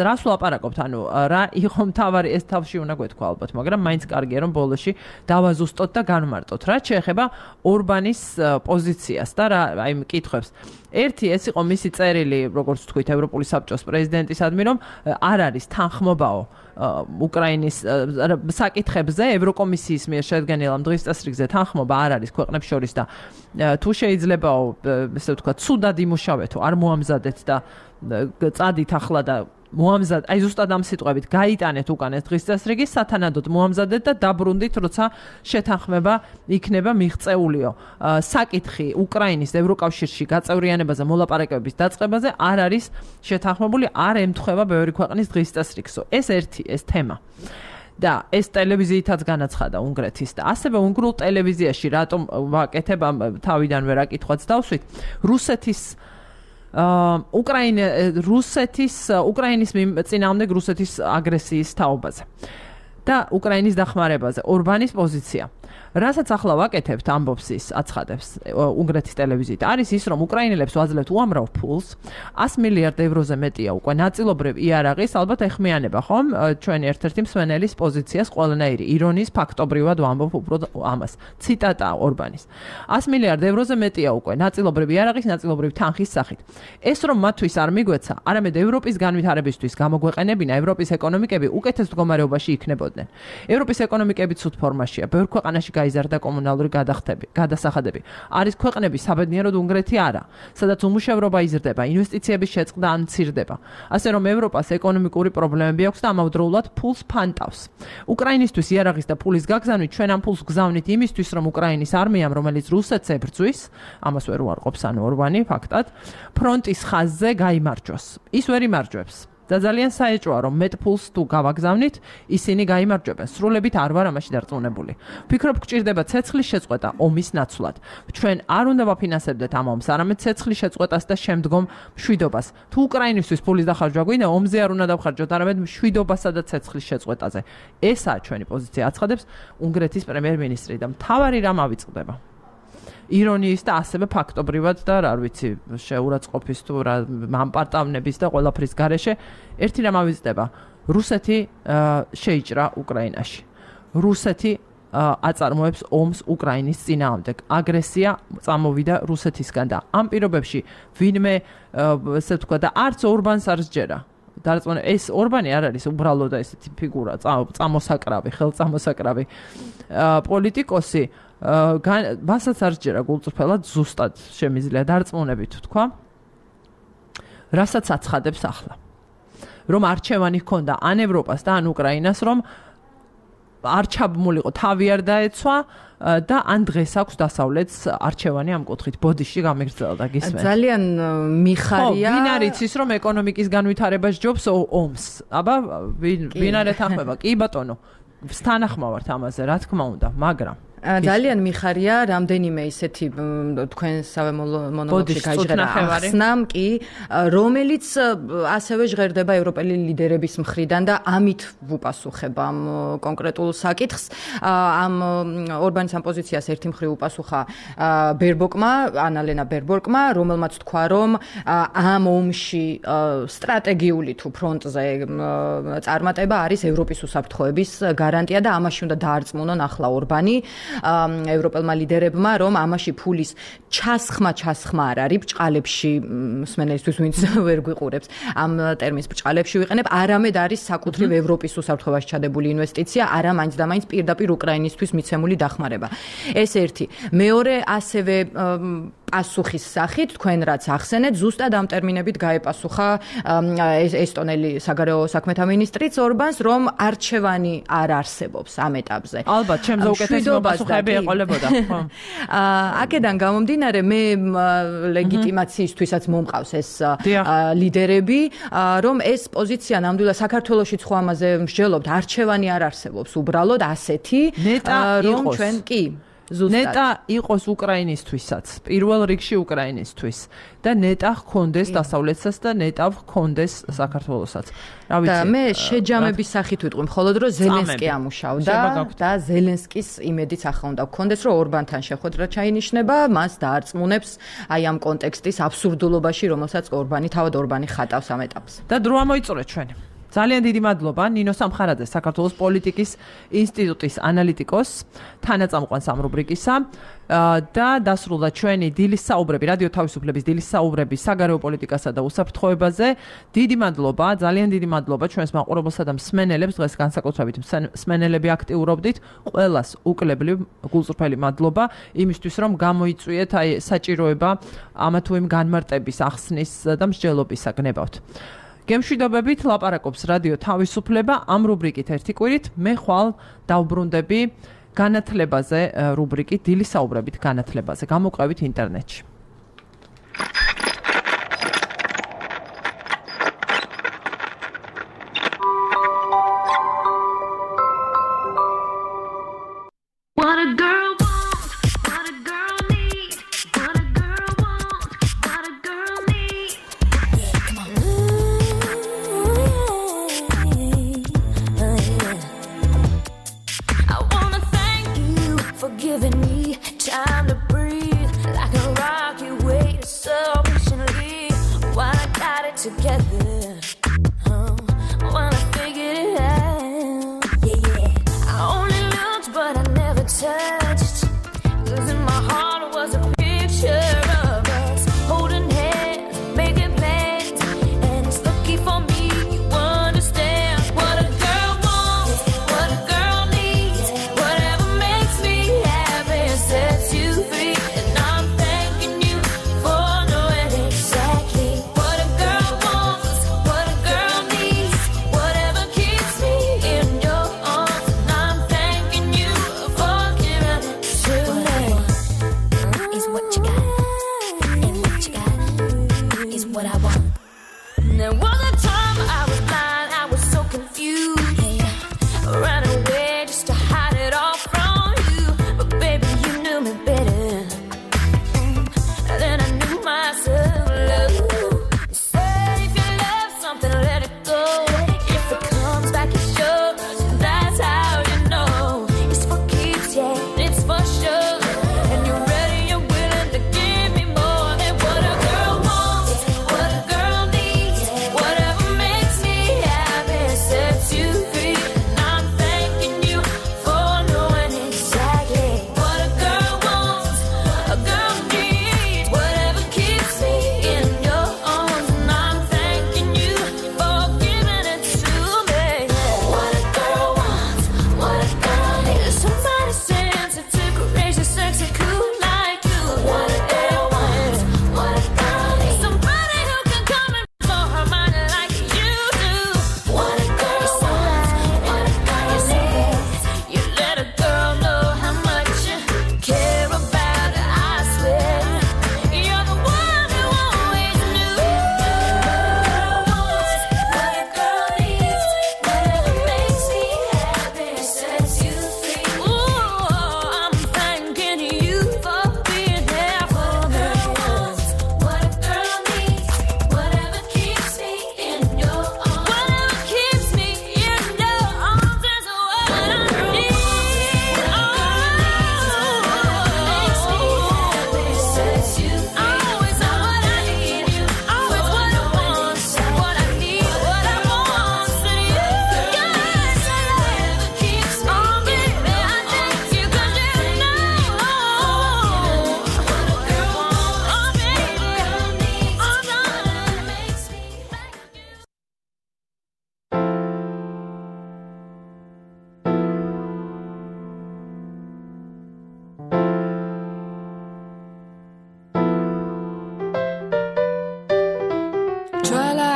[SPEAKER 1] რას ვლაპარაკობთ, ანუ რა იყო მთავარი ეს თავში უნდა გვეთქვა ალბათ, მაგრამ მაინც კარგია რომ ბოლოში დავაზუსტოთ და განვმარტოთ. რაც შეეხება ორბანის პოზიციას და რა აი მკითხებს. ერთი ეს იყო მისი წერილი, როგორც თქვით, ევროპული საბჭოს პრეზიდენტისადმი, რომ არ არის თანხმობაო უკრაინის საკითხებზე, ევროკომისიის მიერ შედგენილ ამ დღის წესრიგზე თანხმობა არ არის ქვეყნებს შორის და თუ შეიძლებაო, ესე ვთქვათ, ცუდად იმუშავეთო, არ მოამზადეთ და წადით ახლა და მოამზად, აი ზუსტად ამ სიტყვებით გაიტანეთ უკან ეს დღის წესრიგი, სათანადოდ მოამზადეთ და დაბრუნდით, როცა შეთანხმება იქნება მიღწეულიო. საკითხი უკრაინის ევროკავშირში გაწევრიანებაზე, მოლაპარაკებების დაწყებაზე არ არის შეთანხმებული, არ ემთხვევა ბევრი ქვეყნის დღის წესრიგსო. ეს ეს თემა. და ეს ტელევიზიითაც განაცხადა უნგრეთის და ასევე უნგრულ ტელევიზიაში რატომ ვაკეთებ თავიდან ვერ აკითხვაც დავსვით. უკრაინის წინააღმდეგ რუსეთის აგრესიის თაობაზე და უკრაინის დახმარებაზე ორბანის პოზიცია. რასაც ახლა ვაკეთებთ, ამბობს ის, აცხადებს უნგრეთის ტელევიზიით, არის ის, რომ უკრაინელებს ვაძლევთ უამრავ ფულს, 100 მილიარდ ევროზე მეტია უკვე ნაწილობრივ იარაღის, ალბათ ეხმიანება, ხომ? ჩვენი ერთ-ერთი მსმენელის პოზიციას ყველანაირი ირონიის ფაქტობრივად ვამბობ უფრო ამას. ციტატა ორბანის. 100 მილიარდ ევროზე მეტია უკვე ნაწილობრივ იარაღის, ნაწილობრივ თანხის სახით. ეს რომ მათთვის არ მიგვეცა, არამედ ევროპის განვითარებისთვის გამოგვეყენებინა, ევროპის ეკონომიკები უკეთეს მდგომარეობაში იქნებოდნენ. ევროპის ეკონომიკები ცუდ ფორმაშია, ბევრ ქვეყანაში გაიზარდა კომუნალური გადასახადები. არის ქვეყნები საბედნიეროდ უნგრეთი არა, სადაც უმუშევრობა იზრდება, ინვესტიციების შეწყდა ან მცირდება. ასე რომ ევროპას ეკონომიკური პრობლემები აქვს და ამავდროულად ფულს ფანტავს. უკრაინისთვის იარაღის და ფულის გაგზავნით ჩვენ ამ ფულს გზავნით იმისთვის, რომ უკრაინის არმიამ, რომელიც რუსეთს ებრძვის, ამას ვერ უარყოფს ანუ ორბანი ფაქტად, ფრონტის ხაზზე გაიმარჯვოს. ის ვერ იმარჯვებს. და ძალიან საეჭვოა რომ მეტ ფულს თუ გავაგზავნით, ისინი გაიმარჯვებენ. სრულებით არ ვარ ამაში დარწმუნებული. ვფიქრობ, გჭირდება ცეცხლის შეწყვეტა ომის ნაცვლად. ჩვენ არ უნდა ვაფინანსებდეთ ამ ომს, არამედ ცეცხლის შეწყვეტას და შემდგომ მშვიდობას. თუ უკრაინისთვის ფულის დახარჯვა გვინდა, ომზე არ უნდა დავხარჯოთ, არამედ მშვიდობასა და ცეცხლის შეწყვეტაზე. ესაა ჩვენი პოზიცია, აცხადებს უნგრეთის პრემიერ-მინისტრი და მთავარი რამ ავიწყდება. ირონიის და ასევე ფაქტობრივად და რა ვიცი, შეურაცხყოფის თუ რა მამპარტავნების და ყველაფრის გარეშე ერთი რამ ავიწყდება. რუსეთი შეიჭრა უკრაინაში. რუსეთი აწარმოებს ომს უკრაინის წინააღმდეგ. აგრესია წამოვიდა რუსეთისგან და ამ პირობებში ვინმე ესე თქვა და არც ორბანს არ სჯერა. ეს ორბანი არ არის უბრალოდ ესეთი ფიგურა, წამოსაკრავი, ხელწამოსაკრავი პოლიტიკოსი, მასაც არ სჯერა გულწრფელად ზუსტად შემიძლია დარწმუნებით თქვა, რასაც აცხადებს ახლა. რომ არჩევანი ჰქონდა ან ევროპას და ან უკრაინას, რომ არ ჩაბმულიყო, თავი არ დაეცვა და ან დღეს აქვს დასავლეთს არჩევანი ამ კუთხით. ბოდიში გამიგრძელდა გისმენთ.
[SPEAKER 2] ძალიან მიხარია.
[SPEAKER 1] ვინ არ იცის რომ ეკონომიკის განვითარება სჯობს ომს? აბა ვინ არ ეთანხმება? კი ბატონო, ვსთანახმავართ ამაზე, რა თქმა უნდა, მაგრამ
[SPEAKER 2] ძალიან მიხარია რამდენიმე ისეთი თქვენსავე მონოლოგში გაიჟღერა ახსნამ კი, რომელიც ასევე ჟღერდება ევროპელი ლიდერების მხრიდან და ამით ვუპასუხებ ამ კონკრეტულ საკითხს. ამ ორბანის ამ პოზიციას ერთი მხრივ უპასუხა ბერბოკმა, ანალენა ბერბოკმა, რომელმაც თქვა, რომ ამ ომში სტრატეგიული თუ ფრონტზე წარმატება არის ევროპის უსაფრთხოების გარანტია და ამაში უნდა დაარწმუნონ ახლა ორბანი. ევროპელმა ლიდერებმა, რომ ამაში ფულის ჩასხმა არ არის ბჭყალებში, მსმენელისთვის ვინც ვერ გვიყურებს, ამ ტერმინს ბჭყალებში ვიყენებ, არამედ არის საკუთრივ ევროპის უსაფრთხოებაში ჩადებული ინვესტიცია, არა მაინც და მაინც პირდაპირ უკრაინისთვის მიცემული დახმარება. ეს ერთი. მეორე, ასევე პასუხის სახით, თქვენ რაც ახსენეთ, ზუსტად ამ ტერმინებით გაეპასუხა ესტონელი საგარეო საქმეთა მინისტრიც ორბანს, რომ არჩევანი არ არსებობს ამ ეტაპზე.
[SPEAKER 1] ალბათ, ჩემზე უკეთესი მოპასუხეები ეყოლებოდა.
[SPEAKER 2] აქედან გამომდინარე, მე ლეგიტიმაციისთვისაც მომყავს ეს ლიდერები, რომ ეს პოზიცია ნამდვილად საქართველოშიც ხო ამაზე მსჯელობთ, არჩევანი არ არსებობს, უბრალოდ ასეთი, რომ ჩვენ კი
[SPEAKER 1] ნეტა იყოს უკრაინისთვისაც, პირველ რიგში უკრაინისთვის და ნეტა ჰქონდეს დასავლეთსაც და ნეტა ჰქონდეს საქართველოსაც. რა ვიცი.
[SPEAKER 2] და მე შეჯამების სახით ვიტყვი, მხოლოდ რომ ზელენსკი ამუშავდა და ზელენსკის იმედიც ახლა უნდა გქონდეს, რომ ორბანთან შეხვედრა ჩაინიშნება, მას დაარწმუნებს აი ამ კონტექსტის აბსურდულობაში, რომელსაც თავად ორბანი ხატავს ამ ეტაპს.
[SPEAKER 1] და დრო ამოიწურეთ ჩვენ. ძალიან დიდი მადლობა ნინო სამხარაძე, საქართველოს პოლიტიკის ინსტიტუტის ანალიტიკოს, თანაწამყვანს ამ რუბრიკისა და დასრულდა ჩვენი დილის საუბრები, რადიო თავისუფლების დილის საუბრები საგარეო პოლიტიკასა და უსაფრთხოებაზე. დიდი მადლობა, ძალიან დიდი მადლობა ჩვენს მაყურებელსა და მსმენელებს, დღეს განსაკუთრებით მსმენელები აქტიურობდით, ყველას უკლებლივ გულწრფელი მადლობა იმისთვის, რომ გამოიწვიეთ აი საჭიროება ამა თუ იმ განმარტების ახსნის და მსჯელობისა გნებავთ. გემშვიდობებით ლაპარაკობს რადიო თავისუფლება ამ რუბრიკით ერთი კვირით. მე ხვალ დავბრუნდები განათლებაზე რუბრიკით, დილის საუბრებით განათლებაზე. გამოყვებით ინტერნეტში.
[SPEAKER 3] What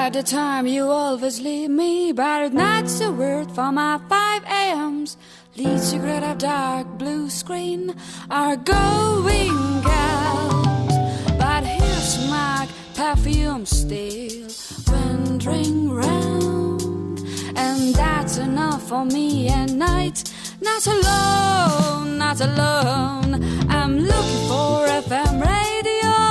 [SPEAKER 3] at the time you always leave me, but that's a word for my 5 a.m.s. Lead cigarette of dark blue screen are going out, but here's my perfume still wandering round, and that's enough for me at night. Not alone, not alone. I'm looking for FM radio.